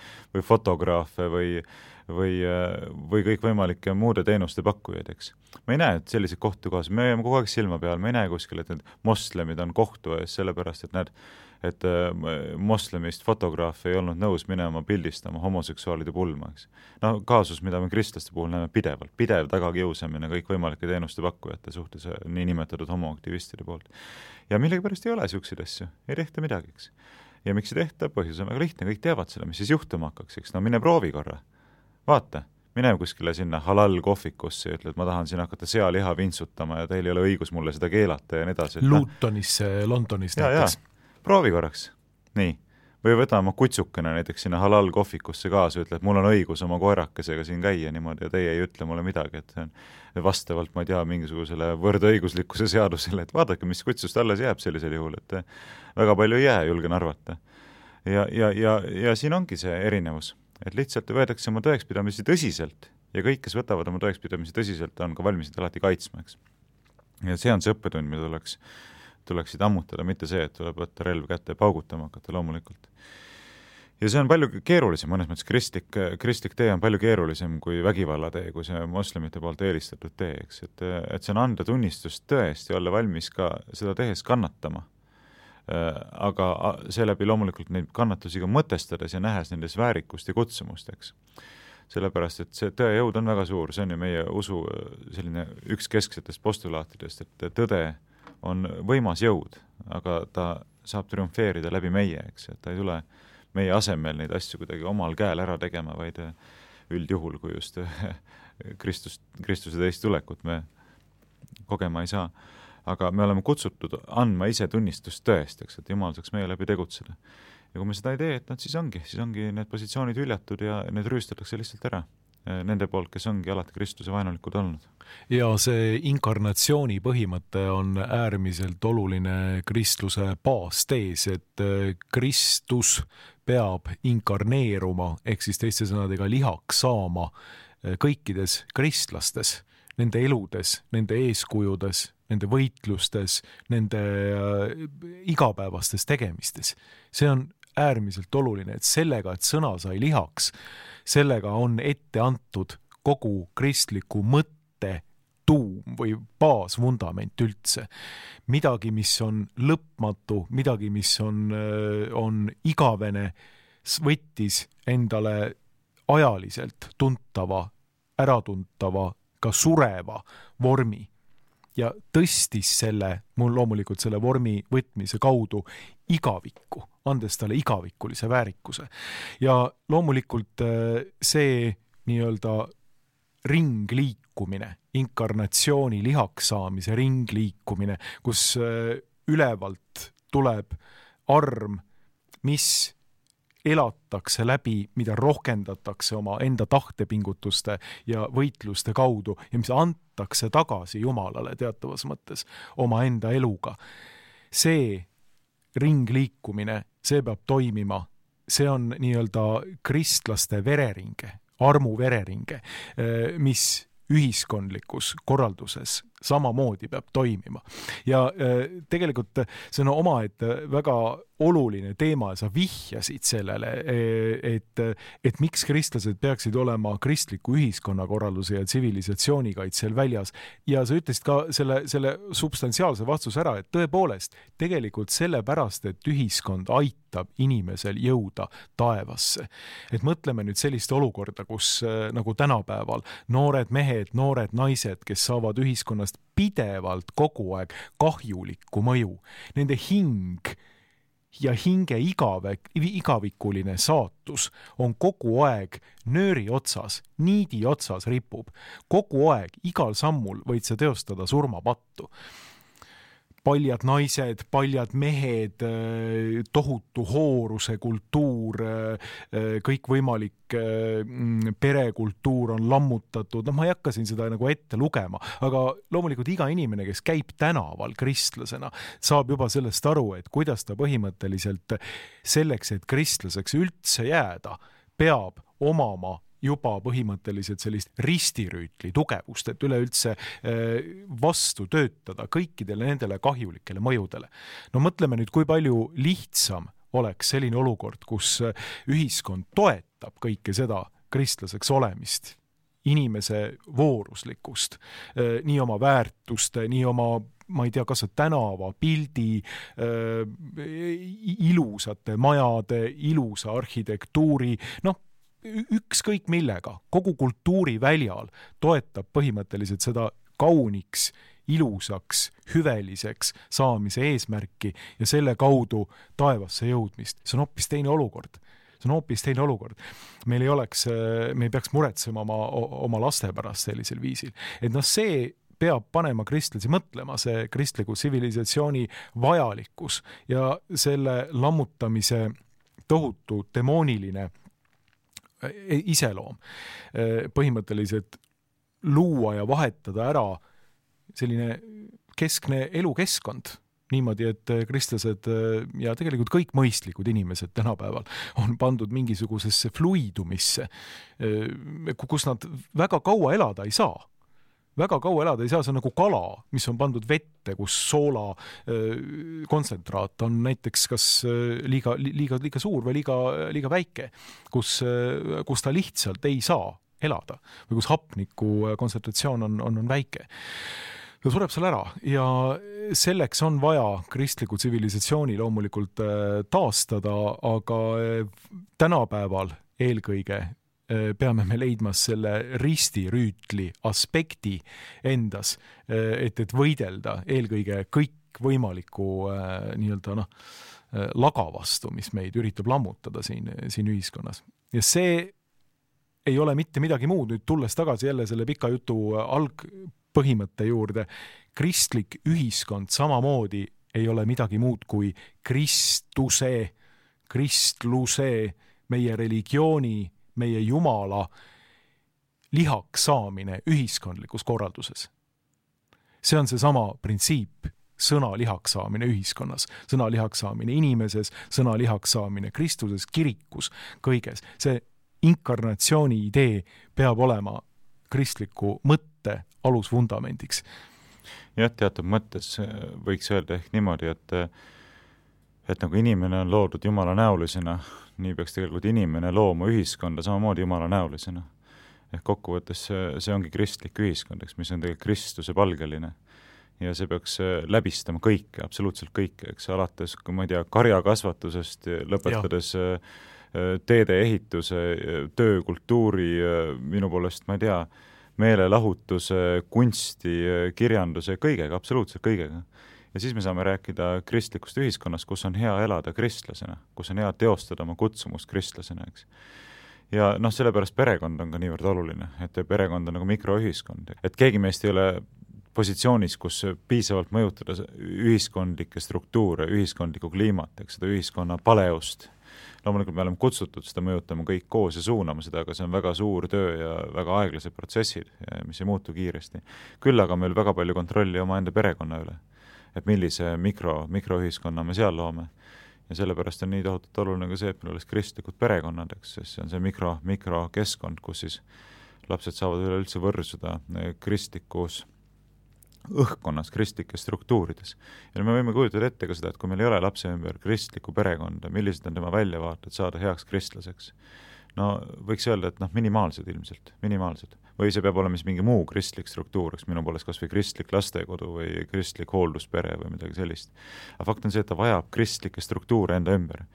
Speaker 3: fotograafe või kõikvõimalike muude teenuste pakkujaid, eks. Me ei näe, et selliseid kohtu kohas, me jääme kogu aeg silma peal, me ei näe kuskil, et need moslemid on kohtu ees, sellepärast, et moslemist fotograaf ei olnud nõus minema pildistama homoseksuaalide pulma, eks. Kaasus, mida me kristlaste puhul näeme pidev tagakiusamine kõikvõimalike teenuste pakkujate suhtes nii nimetatud homoaktivistide poolt. Ja millegipärast ei ole siukseid asju, ei tehta midagi, eks. Ja miks ei tehta? Põhjus on väga lihtne, kõik teavad selle, mis siis juhtuma hakkaks, eks. Mine proovi korra. Vaata, mine kuskile sinna halal kohvikusse ja ütle, et ma tahan siin hakata sealiha vintsutama ja teil ei ole õigus mulle seda keelata ja nii edasi.
Speaker 2: Lutonisse, Londonis näiteks.
Speaker 3: Proovi korraks. Nii. Või võta oma kutsukene näiteks sinna halal kohvikusse kaasa ja ütle, et mul on õigus oma koerakesega siin käia niimoodi ja teie ei ütle mulle midagi, et see on vastavalt, ma ei tea, mingisugusele võrdõiguslikkuse seadusele, et vaadake, mis kutsust alles jääb sellisel juhul, et väga palju ei jää, julgen arvata. Ja siin ongi see erinevus, et lihtsalt võetakse oma tõekspidamisi tõsiselt ja kõik, kes võtavad oma tõekspidamisi tõsiselt, on ka valmis alati kaitsma, eks. Ja see on see õppetund, mida tuleksid ammutada, mitte see, et tuleb võtta relv kätte ja paugutama hakata loomulikult. Ja see on palju keerulisem, mõnes mõttes kristlik tee on palju keerulisem kui vägivalla tee, kui see moslemite poolt eelistatud tee, eks, et see on anda tunnistust tõesti, olla valmis ka seda tehes kannatama. Aga seeläbi loomulikult neid kannatusi ka mõtestades ja nähes nendes väärikust ja kutsumust, eks. Sellepärast, et see tõe jõud on väga suur, see on ju meie usu selline üks kesksetest postulaatidest, et tõde on võimas jõud, aga ta saab triumfeerida läbi meie, eks, et ta ei tule meie asemel neid asju kuidagi omal käel ära tegema, vaid üldjuhul, kui just Kristuse teist tulekut me kogema ei saa. Aga me oleme kutsutud andma ise tunnistust tõest, eks, et Jumal saaks meie läbi tegutseda. Ja kui me seda ei tee, et siis ongi need positsioonid hüljatud ja need rüüstatakse lihtsalt ära nende poolt, kes ongi alati Kristuse vaenulikud olnud.
Speaker 2: Ja see inkarnatsiooni põhimõte on äärmiselt oluline kristluse baastees, et Kristus peab inkarneeruma, ehk siis teiste sõnadega lihaks saama kõikides kristlastes, nende eludes, nende eeskujudes, nende võitlustes, nende igapäevastes tegemistes. See on äärmiselt oluline, et sellega, et sõna sai lihaks, sellega on ette antud kogu kristliku mõtte tuum või baasvundament üldse. Midagi, mis on lõpmatu, midagi, mis on igavene, võttis endale ajaliselt tuntava, äratuntava, ka sureva vormi ja tõstis mul loomulikult selle vormi võtmise kaudu igavikku, andes talle igavikulise väärikuse. Ja loomulikult see nii-öelda ringliikumine, inkarnatsiooni lihaks saamise ringliikumine, kus ülevalt tuleb arm, mis elatakse läbi, mida rohkendatakse oma enda tahtepingutuste ja võitluste kaudu ja mis antakse tagasi Jumalale teatavas mõttes oma enda eluga. See ringliikumine, see peab toimima, see on nii-öelda kristlaste vereringe, armu vereringe, mis ühiskondlikus korralduses samamoodi peab toimima. Ja tegelikult see on omaette väga oluline teema ja sa vihjasid sellele, et miks kristlased peaksid olema kristliku ühiskonnakorralduse ja tsivilisatsioonikaitsel väljas. Ja sa ütlesid ka selle substantsiaalse vastuse ära, et tõepoolest tegelikult sellepärast, et ühiskond aitab inimesel jõuda taevasse. Et mõtleme nüüd sellist olukorda, kus nagu tänapäeval noored mehed, noored naised, kes saavad ühiskonnast pidevalt kogu aeg kahjulikku mõju. Nende hing ja hinge igavikuline saatus on kogu aeg nööri otsas, niidi otsas ripub. Kogu aeg, igal sammul võid sa teostada surmapattu. Paljad naised, paljad mehed, tohutu hooruse kultuur, kõikvõimalik perekultuur on lammutatud. Ma ei hakka siin seda nagu ette lugema, aga loomulikult iga inimene, kes käib tänaval kristlasena, saab juba sellest aru, et kuidas ta põhimõtteliselt selleks, et kristlaseks üldse jääda, peab omama juba põhimõtteliselt sellist ristirüütli tugevust, et üleüldse vastu töötada kõikidele nendele kahjulikele mõjudele. No mõtleme nüüd, kui palju lihtsam oleks selline olukord, kus ühiskond toetab kõike seda kristlaseks olemist, inimese vooruslikkust, nii oma väärtuste, nii oma ma ei tea, kas tänava, pildi, ilusate majade, ilusa arhitektuuri, ükskõik millega, kogu kultuuriväljal toetab põhimõtteliselt seda kauniks, ilusaks, hüveliseks saamise eesmärki ja selle kaudu taevasse jõudmist. See on hoopis teine olukord. Me ei peaks muretsema oma laste pärast sellisel viisil. Et see peab panema kristlasi mõtlema, see kristliku tsivilisatsiooni vajalikkus ja selle lammutamise tohutu demooniline iseloom. Põhimõtteliselt luua ja vahetada ära selline keskne elukeskkond niimoodi, et kristlased ja tegelikult kõik mõistlikud inimesed tänapäeval on pandud mingisugusesse fluidumisse, kus nad väga kaua elada ei saa. väga kaua elada ei saa, see on nagu kala, mis on pandud vette, kus soola kontsentraat on näiteks kas liiga suur või liiga väike, kus ta lihtsalt ei saa elada või kus hapniku kontsentratsioon on väike. Ta sureb seal ära ja selleks on vaja kristliku tsivilisatsiooni loomulikult taastada, aga tänapäeval eelkõige peame me leidma selle ristirüütli aspekti endas, et võidelda eelkõige kõikvõimaliku nii-öelda laga vastu, mis meid üritab lammutada siin ühiskonnas. Ja see ei ole mitte midagi muud, nüüd tulles tagasi jälle selle pika jutu algpõhimõtte juurde, kristlik ühiskond samamoodi ei ole midagi muud kui kristluse, meie religiooni, meie Jumala lihaks saamine ühiskondlikus korralduses. See on seesama printsiip, sõna lihaks saamine ühiskonnas, sõna lihaks saamine inimeses, sõna lihaks saamine Kristuses, kirikus, kõiges. See inkarnatsiooni idee peab olema kristliku mõtte alusvundamendiks.
Speaker 3: Jah, teatud mõttes võiks öelda ehk niimoodi, et nagu inimene on loodud Jumala näolisena, nii peaks tegelikult inimene looma ühiskonda samamoodi Jumala näolisena. Ehk kokkuvõttes see ongi kristlik ühiskond, mis on tegelikult Kristuse palgeline. Ja see peaks läbistama kõike, absoluutselt kõike, eks alates, kui ma ei tea, karjakasvatusest, lõpetades teede ehituse, töökultuuri, minu poolest, ma ei tea, meelelahutuse, kunsti, kirjanduse, kõigega, absoluutselt kõigega. Ja siis me saame rääkida kristlikust ühiskonnast, kus on hea elada kristlasena, kus on hea teostada oma kutsumust kristlasena, eks. Ja sellepärast perekond on ka niivõrd oluline, et perekond on nagu mikroühiskond. Et keegi meist ei ole positsioonis, kus piisavalt mõjutada ühiskondlikke struktuure, ühiskondlikku kliimat, eks, seda ühiskonna paleust. Loomulikult me oleme kutsutud seda mõjutama kõik koos ja suunama seda, aga see on väga suur töö ja väga aeglased protsessid, mis ei muutu kiiresti. Küll aga meil väga palju kontrolli oma enda perekonna üle, et millise mikroühiskonna me seal loome. Ja sellepärast on nii tohutult oluline ka see, et meil oleks kristlikud perekonnad, eks, sest see on see mikrokeskkond, kus siis lapsed saavad üleüldse võrsuda kristlikus õhkkonnas, kristlikes struktuurides. Ja me võime kujutada ette ka seda, et kui meil ei ole lapse ümber kristlikku perekonda, millised on tema väljavaated saada heaks kristlaseks? Võiks öelda, et minimaalsed ilmselt, minimaalsed. Või see peab olema mingi muu kristlik struktuur, minu poolest kas või kristlik lastekodu või kristlik hoolduspere või midagi sellist. Aga fakt on see, et ta vajab kristlikke struktuure enda ümber.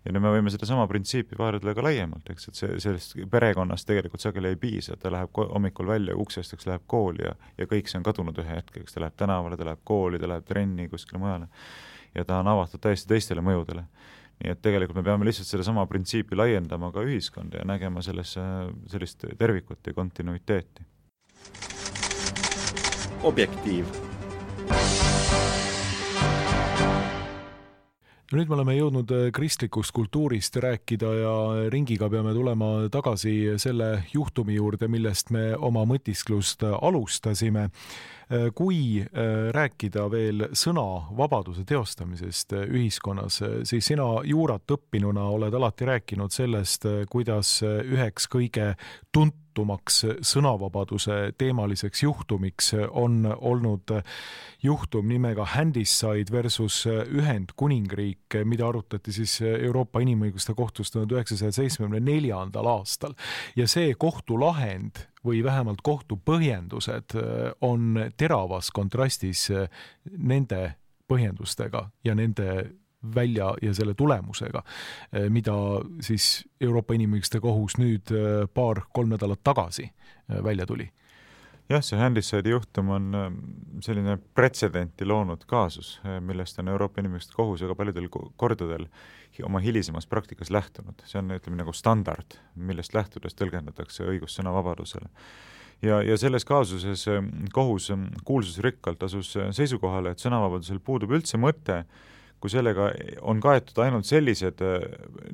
Speaker 3: Ja me võime seda sama printsiipi vaadata ka laiemalt, eks, et sellest perekonnast tegelikult sageli ei piisa, ta läheb hommikul välja uksest, eks, läheb kooli ja kõik see on kadunud ühe hetkeks, ta läheb tänavale, ta läheb kooli, ta läheb trenni kuskile mujale ja ta on avatud täiesti teistele mõjudele. Nii et tegelikult me peame lihtsalt selle sama printsiipi laiendama ka ühiskonda ja nägema sellist tervikut ja kontinuiteeti.
Speaker 1: Objektiiv.
Speaker 2: Nüüd me oleme jõudnud kristlikust kultuurist rääkida ja ringiga peame tulema tagasi selle juhtumi juurde, millest me oma mõtisklust alustasime. Kui rääkida veel sõnavabaduse teostamisest ühiskonnas, siis sina juurat õppinuna oled alati rääkinud sellest, kuidas üheks kõige tuntumaks sõnavabaduse teemaliseks juhtumiks on olnud juhtum nimega Handyside versus Ühendkuningriik, mida arutati siis Euroopa Inimõiguste Kohtus 1974. aastal. Ja see kohtulahend või vähemalt kohtupõhjendused on teravas kontrastis nende põhjendustega ja nende välja ja selle tulemusega, mida siis Euroopa Inimõiguste Kohus nüüd 2-3 nädalat tagasi välja tuli.
Speaker 3: Jah, see Handyside juhtum on selline pretsedenti loonud kaasus, millest on Euroopa Inimõiguste Kohus väga paljudel kordadel oma hilisemas praktikas lähtunud. See on, ütleme, nagu standard, millest lähtudes tõlgendatakse õigust sõnavabadusele. Ja selles kaasuses kohus kuulsusrikkalt asus seisukohale, et sõnavabadusel puudub üldse mõte, kui sellega on kaetud ainult sellised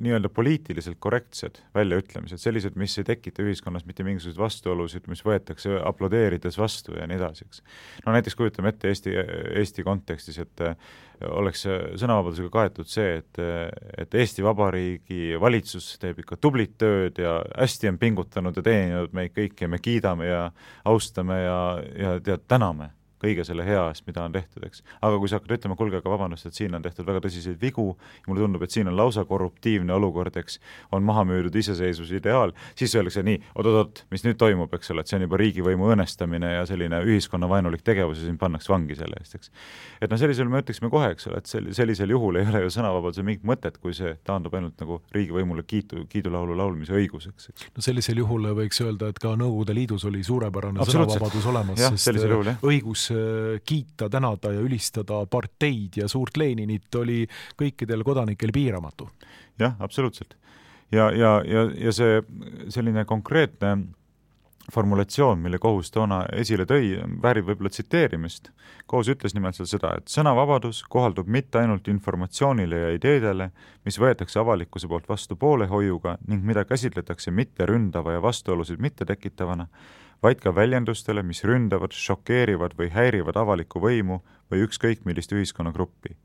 Speaker 3: nii-öelda poliitiliselt korrektsed väljaütlemised, sellised, mis ei tekita ühiskonnas mitte mingisuguseid vastuolusid, mis võetakse aplodeerides vastu ja nii edasi, eks. No näiteks kujutame ette Eesti kontekstis, et oleks sõnavabadusega kaetud see, et Eesti Vabariigi valitsus teeb ikka tublit tööd ja hästi on pingutanud ja teeninud meid kõiki ja me kiidame ja austame ja täname kõige selle hea eest, mida on tehtud, eks. Aga kui sa hakkad ütlema, kuulge, aga vabandust, et siin on tehtud väga tõsiseid vigu ja mulle tundub, et siin on lausa korruptiivne olukord, eks, on maha müüdud iseseisvuse ideaal, siis öeldakse nii, oot, mis nüüd toimub, eks ole, et see on juba riigivõimu õõnestamine ja selline ühiskonnavaenulik tegevus ja siin pannakse vangi selle eest, eks. Et no sellisel me ütleksime kohe, eks ole, et sellisel juhul ei ole ju sõnavabaduse mingit mõtet, kui see taandub ainult nagu riigivõimule kiidulaulu laulmise õiguseks, eks.
Speaker 2: No sellisel juhul võiks öelda, et ka Nõukogude Liidus oli suurepärane sõnavabadus olemas, sest õigus kiita, tänada ja ülistada parteid ja suurt Leninit oli kõikidel kodanikel piiramatu.
Speaker 3: Jah, absoluutselt. Ja see selline konkreetne formulatsioon, mille kohus toona esile tõi, väärib võib-olla tsiteerimist. Kohus ütles nimelt seda, et sõnavabadus kohaldub mitte ainult informatsioonile ja ideedele, mis võetakse avalikkuse poolt vastu poolehoiuga ning mida käsitletakse mitte ründava ja vastuolusid mitte tekitavana, vaid ka väljendustele, mis ründavad, šokeerivad või häirivad avalikku võimu või ükskõik millist ühiskonnagruppi.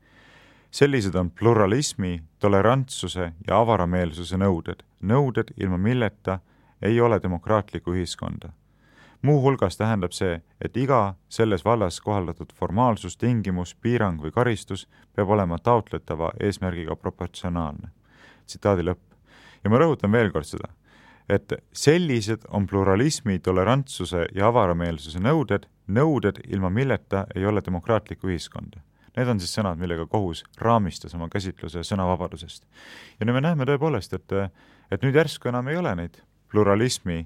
Speaker 3: Sellised on pluralismi, tolerantsuse ja avarameelsuse nõuded, ilma milleta ei ole demokraatlikku ühiskonda. Muu hulgas tähendab see, et iga selles vallas kohaldatud formaalsus, tingimus, piirang või karistus peab olema taotletava eesmärgiga proportsionaalne. Tsitaadi lõpp. Ja ma rõhutan veel kord seda, et sellised on pluralismi, tolerantsuse ja avarameelsuse nõuded, ilma milleta ei ole demokraatlikku ühiskonda. Need on siis sõnad, millega kohus raamistas oma käsitluse sõnavabadusest. Ja nüüd me näeme tõepoolest, et nüüd järsku enam ei ole neid pluralismi,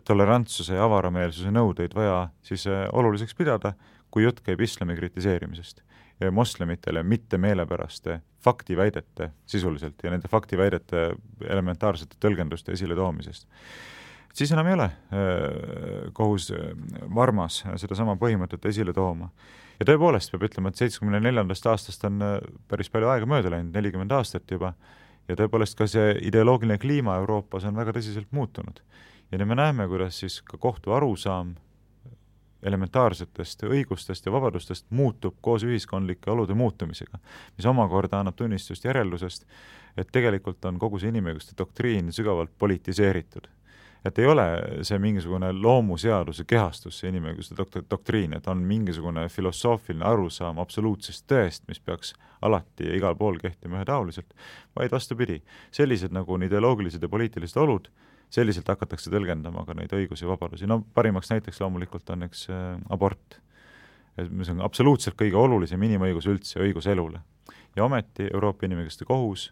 Speaker 3: tolerantsuse ja avarameelsuse nõudeid vaja siis oluliseks pidada, kui jutt käib islami kritiseerimisest ja moslemitele mitte meelepäraste faktiväidete sisuliselt ja nende faktiväidete elementaarsete tõlgenduste esile toomisest. Siis enam ei ole kohus varmas seda sama põhimõtet esile tooma. Ja tõepoolest peab ütlema, et 74. aastast on päris palju aega mööda läinud, 40 aastat juba, ja tõepoolest ka see ideoloogiline kliima Euroopas on väga tõsiselt muutunud. Ja nüüd me näeme, kuidas siis ka kohtu arusaam elementaarsetest õigustest ja vabadustest muutub koos ühiskondlike olude muutumisega, mis omakorda annab tunnistust järeldusest, et tegelikult on kogu see inimõiguste doktriin sügavalt politiseeritud. Et ei ole see mingisugune loomuseaduse kehastus, see inimõiguste doktriin, et on mingisugune filosoofiline arusaam absoluutsest tõest, mis peaks alati ja igal pool kehtima ühetaoliselt, vaid vastupidi, sellised nagu ideoloogilised ja poliitilised olud, selliselt hakatakse tõlgendama ka neid õigusi ja vabadusi. No parimaks näiteks loomulikult on üks abort, mis on absoluutselt kõige olulisem inimõigus üldse, õigus elule. Ja ometi Euroopa Inimõiguste Kohus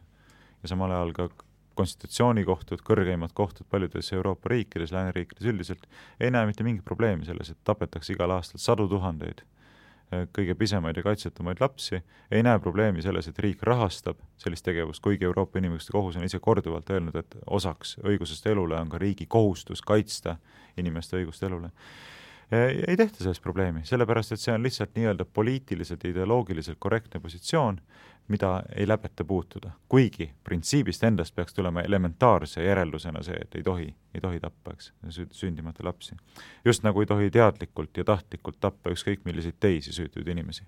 Speaker 3: ja samal ajal ka konstitutsioonikohtud, kõrgeimad kohtud paljudes Euroopa riikides, lääneriikides üldiselt, ei näe mitte mingit probleemi selles, et tapetakse igal aastal 100 000 kõige pisemaid ja kaitsetumaid lapsi, ei näe probleemi selles, et riik rahastab sellist tegevust, kuigi Euroopa Inimõiguste Kohus on ise korduvalt öelnud, et osaks õigusest elule on ka riigi kohustus kaitsta inimeste õigust elule. Ei tehta sellest probleemi, sellepärast, et see on lihtsalt nii-öelda poliitiliselt ja ideoloogiliselt korrektne positsioon, mida ei läbeta puutuda. Kuigi printsiibist endast peaks tulema elementaarse järeldusena see, et ei tohi tappa, eks, sündimata lapsi. Just nagu ei tohi teadlikult ja tahtlikult tappa ükskõik milliseid teisi süütuid inimesi.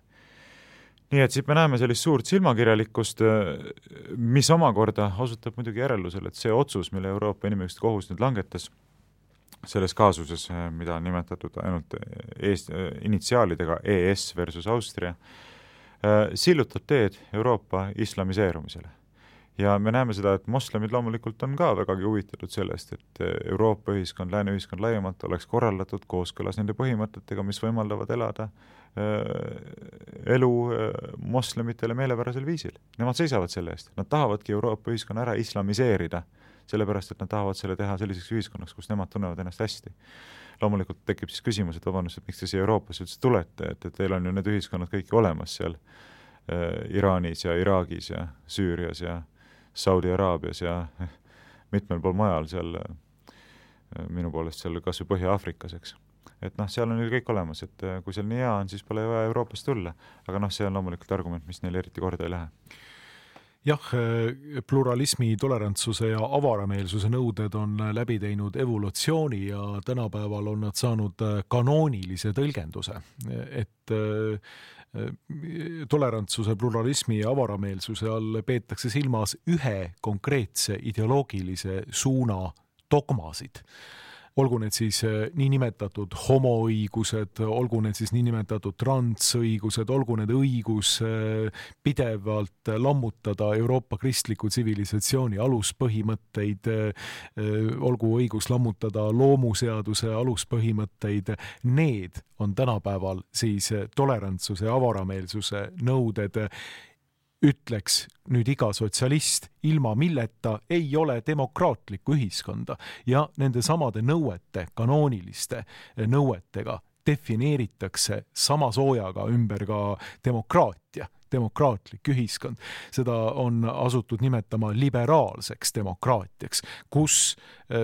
Speaker 3: Nii et siit me näeme sellist suurt silmakirjalikkust, mis omakorda osutab muidugi järeldusele, et see otsus, mille Euroopa Inimõiguste Kohus nüüd langetas, selles kaasuses, mida on nimetatud ainult initsiaalidega ES versus Austria, sillutab teed Euroopa islamiseerumisele. Ja me näeme seda, et moslemid loomulikult on ka vägagi huvitatud sellest, et Euroopa ühiskond, lääne ühiskond laiemalt oleks korraldatud kooskõlas nende põhimõtetega, mis võimaldavad elada elu moslemitele meelepärasel viisil. Nemad seisavad selle eest. Nad tahavadki Euroopa ühiskonna ära islamiseerida, sellepärast, et nad tahavad selle teha selliseks ühiskonnaks, kus nemad tunnevad ennast hästi. Loomulikult tekib siis küsimus, et vabandust, et miks te siia Euroopasse üldse tulete, et teil on ju need ühiskonnad kõik olemas seal Iraanis ja Iraagis ja Süürias ja Saudi-Araabias ja mitmel pool majal seal minu poolest seal kas või Põhja-Aafrikas, eks. et seal on ju kõik olemas, et kui seal nii hea on, siis pole vaja Euroopast tulla, aga see on loomulikult argument, mis neil eriti korda ei lähe.
Speaker 2: Jah, pluralismi, tolerantsuse ja avarameelsuse nõuded on läbi teinud evolutsiooni ja tänapäeval on nad saanud kanoonilise tõlgenduse, et tolerantsuse, pluralismi ja avarameelsuse all peetakse silmas ühe konkreetse ideoloogilise suuna dogmasid. Olgu need siis niinimetatud homoõigused, olgu need siis niinimetatud transõigused, olgu need õigus pidevalt lammutada Euroopa kristliku tsivilisatsiooni aluspõhimõtteid, olgu õigus lammutada loomuseaduse aluspõhimõtteid, need on tänapäeval siis tolerantsuse ja avarameelsuse nõuded. Ütleks nüüd iga sotsialist, ilma milleta ei ole demokraatlikku ühiskonda ja nende samade nõuete, kanooniliste nõuetega defineeritakse sama soojaga ümber ka demokraatia, demokraatlik ühiskond. Seda on asutud nimetama liberaalseks demokraatiaks, kus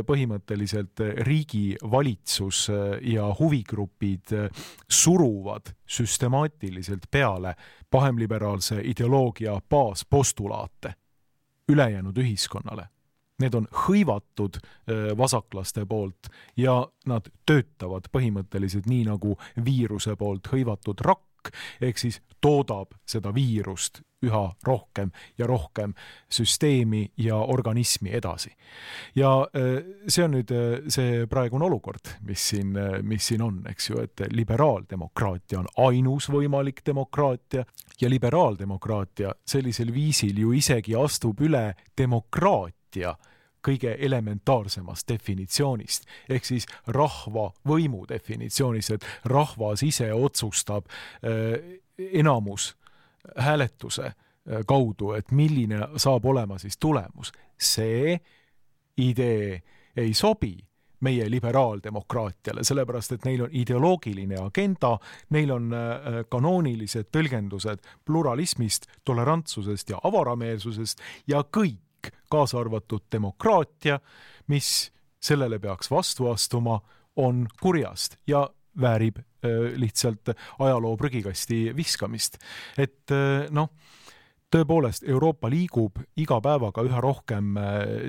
Speaker 2: põhimõtteliselt riigi valitsus ja huvigrupid suruvad süstemaatiliselt peale pahemliberaalse ideoloogia baaspostulaate ülejäänud ühiskonnale. Need on hõivatud vasaklaste poolt ja nad töötavad põhimõtteliselt nii nagu viiruse poolt hõivatud rakk, ehk siis toodab seda viirust üha rohkem ja rohkem süsteemi ja organismi edasi. Ja see on nüüd see praegune olukord, mis siin on, eks ju, et liberaaldemokraatia on ainus võimalik demokraatia ja liberaaldemokraatia sellisel viisil ju isegi astub üle demokraatia kõige elementaarsemast definitsioonist, ehk siis rahva võimu definitsioonist, et rahvas ise otsustab enamus hääletuse kaudu, et milline saab olema siis tulemus. See idee ei sobi meie liberaaldemokraatiale, sellepärast et neil on ideoloogiline agenda, neil on kanoonilised tõlgendused pluralismist, tolerantsusest ja avarameelsusest ja kõik, kaasa arvatud demokraatia, mis sellele peaks vastu astuma, on kurjast ja väärib lihtsalt ajaloo prügikasti viskamist. Et tõepoolest Euroopa liigub iga päevaga üha rohkem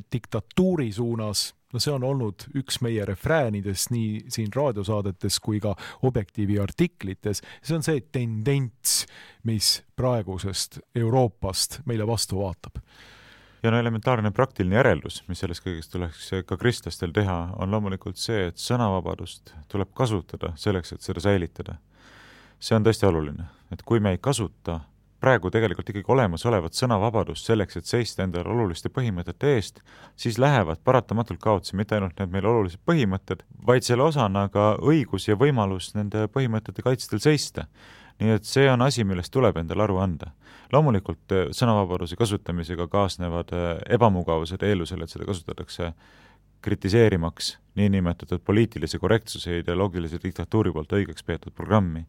Speaker 2: diktatuuri suunas. See on olnud üks meie refräänidest nii siin raadiosaadetes kui ka Objektiivi artiklites. See on see tendents, mis praegusest Euroopast meile vastu vaatab.
Speaker 3: Ja elementaarne praktiline järeldus, mis sellest kõigest tuleks ka kristlastel teha, on loomulikult see, et sõnavabadust tuleb kasutada selleks, et seda säilitada. See on tõesti oluline, et kui me ei kasuta praegu tegelikult ikkagi olemasolevat sõnavabadust selleks, et seista endale oluliste põhimõtete eest, siis lähevad paratamatult kaotsi mitte ainult need meil olulised põhimõtted, vaid selle osana ka õigus ja võimalus nende põhimõtete kaitstel seista. Nii et see on asi, millest tuleb endale aru anda. Loomulikult sõnavabaduse kasutamisega kaasnevad ebamugavused eelusel, et seda kasutatakse kritiseerimaks niinimetatud poliitilise korrektsuse ideoloogilise diktatuuri poolt õigeks peetud programmi.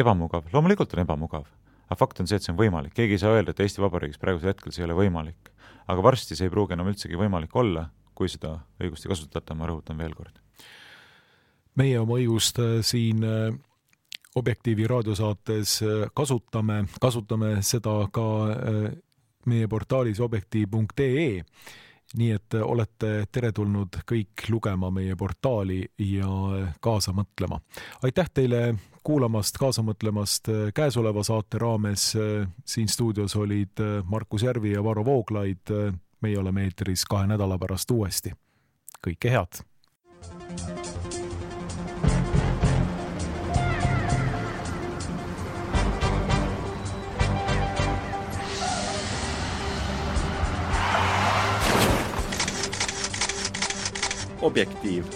Speaker 3: Ebamugav, loomulikult on ebamugav, aga fakt on see, et see on võimalik. Keegi ei saa öelda, et Eesti Vabariigis praegusel hetkel see ei ole võimalik, aga varsti see ei pruugi enam üldsegi võimalik olla, kui seda õigust ei kasutata, ma rõhutan veel kord.
Speaker 2: Meie oma õigust siin Objektiivi raadiosaates kasutame seda ka meie portaalis objektiiv.ee, nii et olete teretulnud kõik lugema meie portaali ja kaasa mõtlema. Aitäh teile kuulamast, kaasa mõtlemast käesoleva saate raames. Siin stuudios olid Markus Järvi ja Varro Vooglaid. Meie oleme eetris 2 nädala pärast uuesti. Kõike head!
Speaker 1: Objektiiv.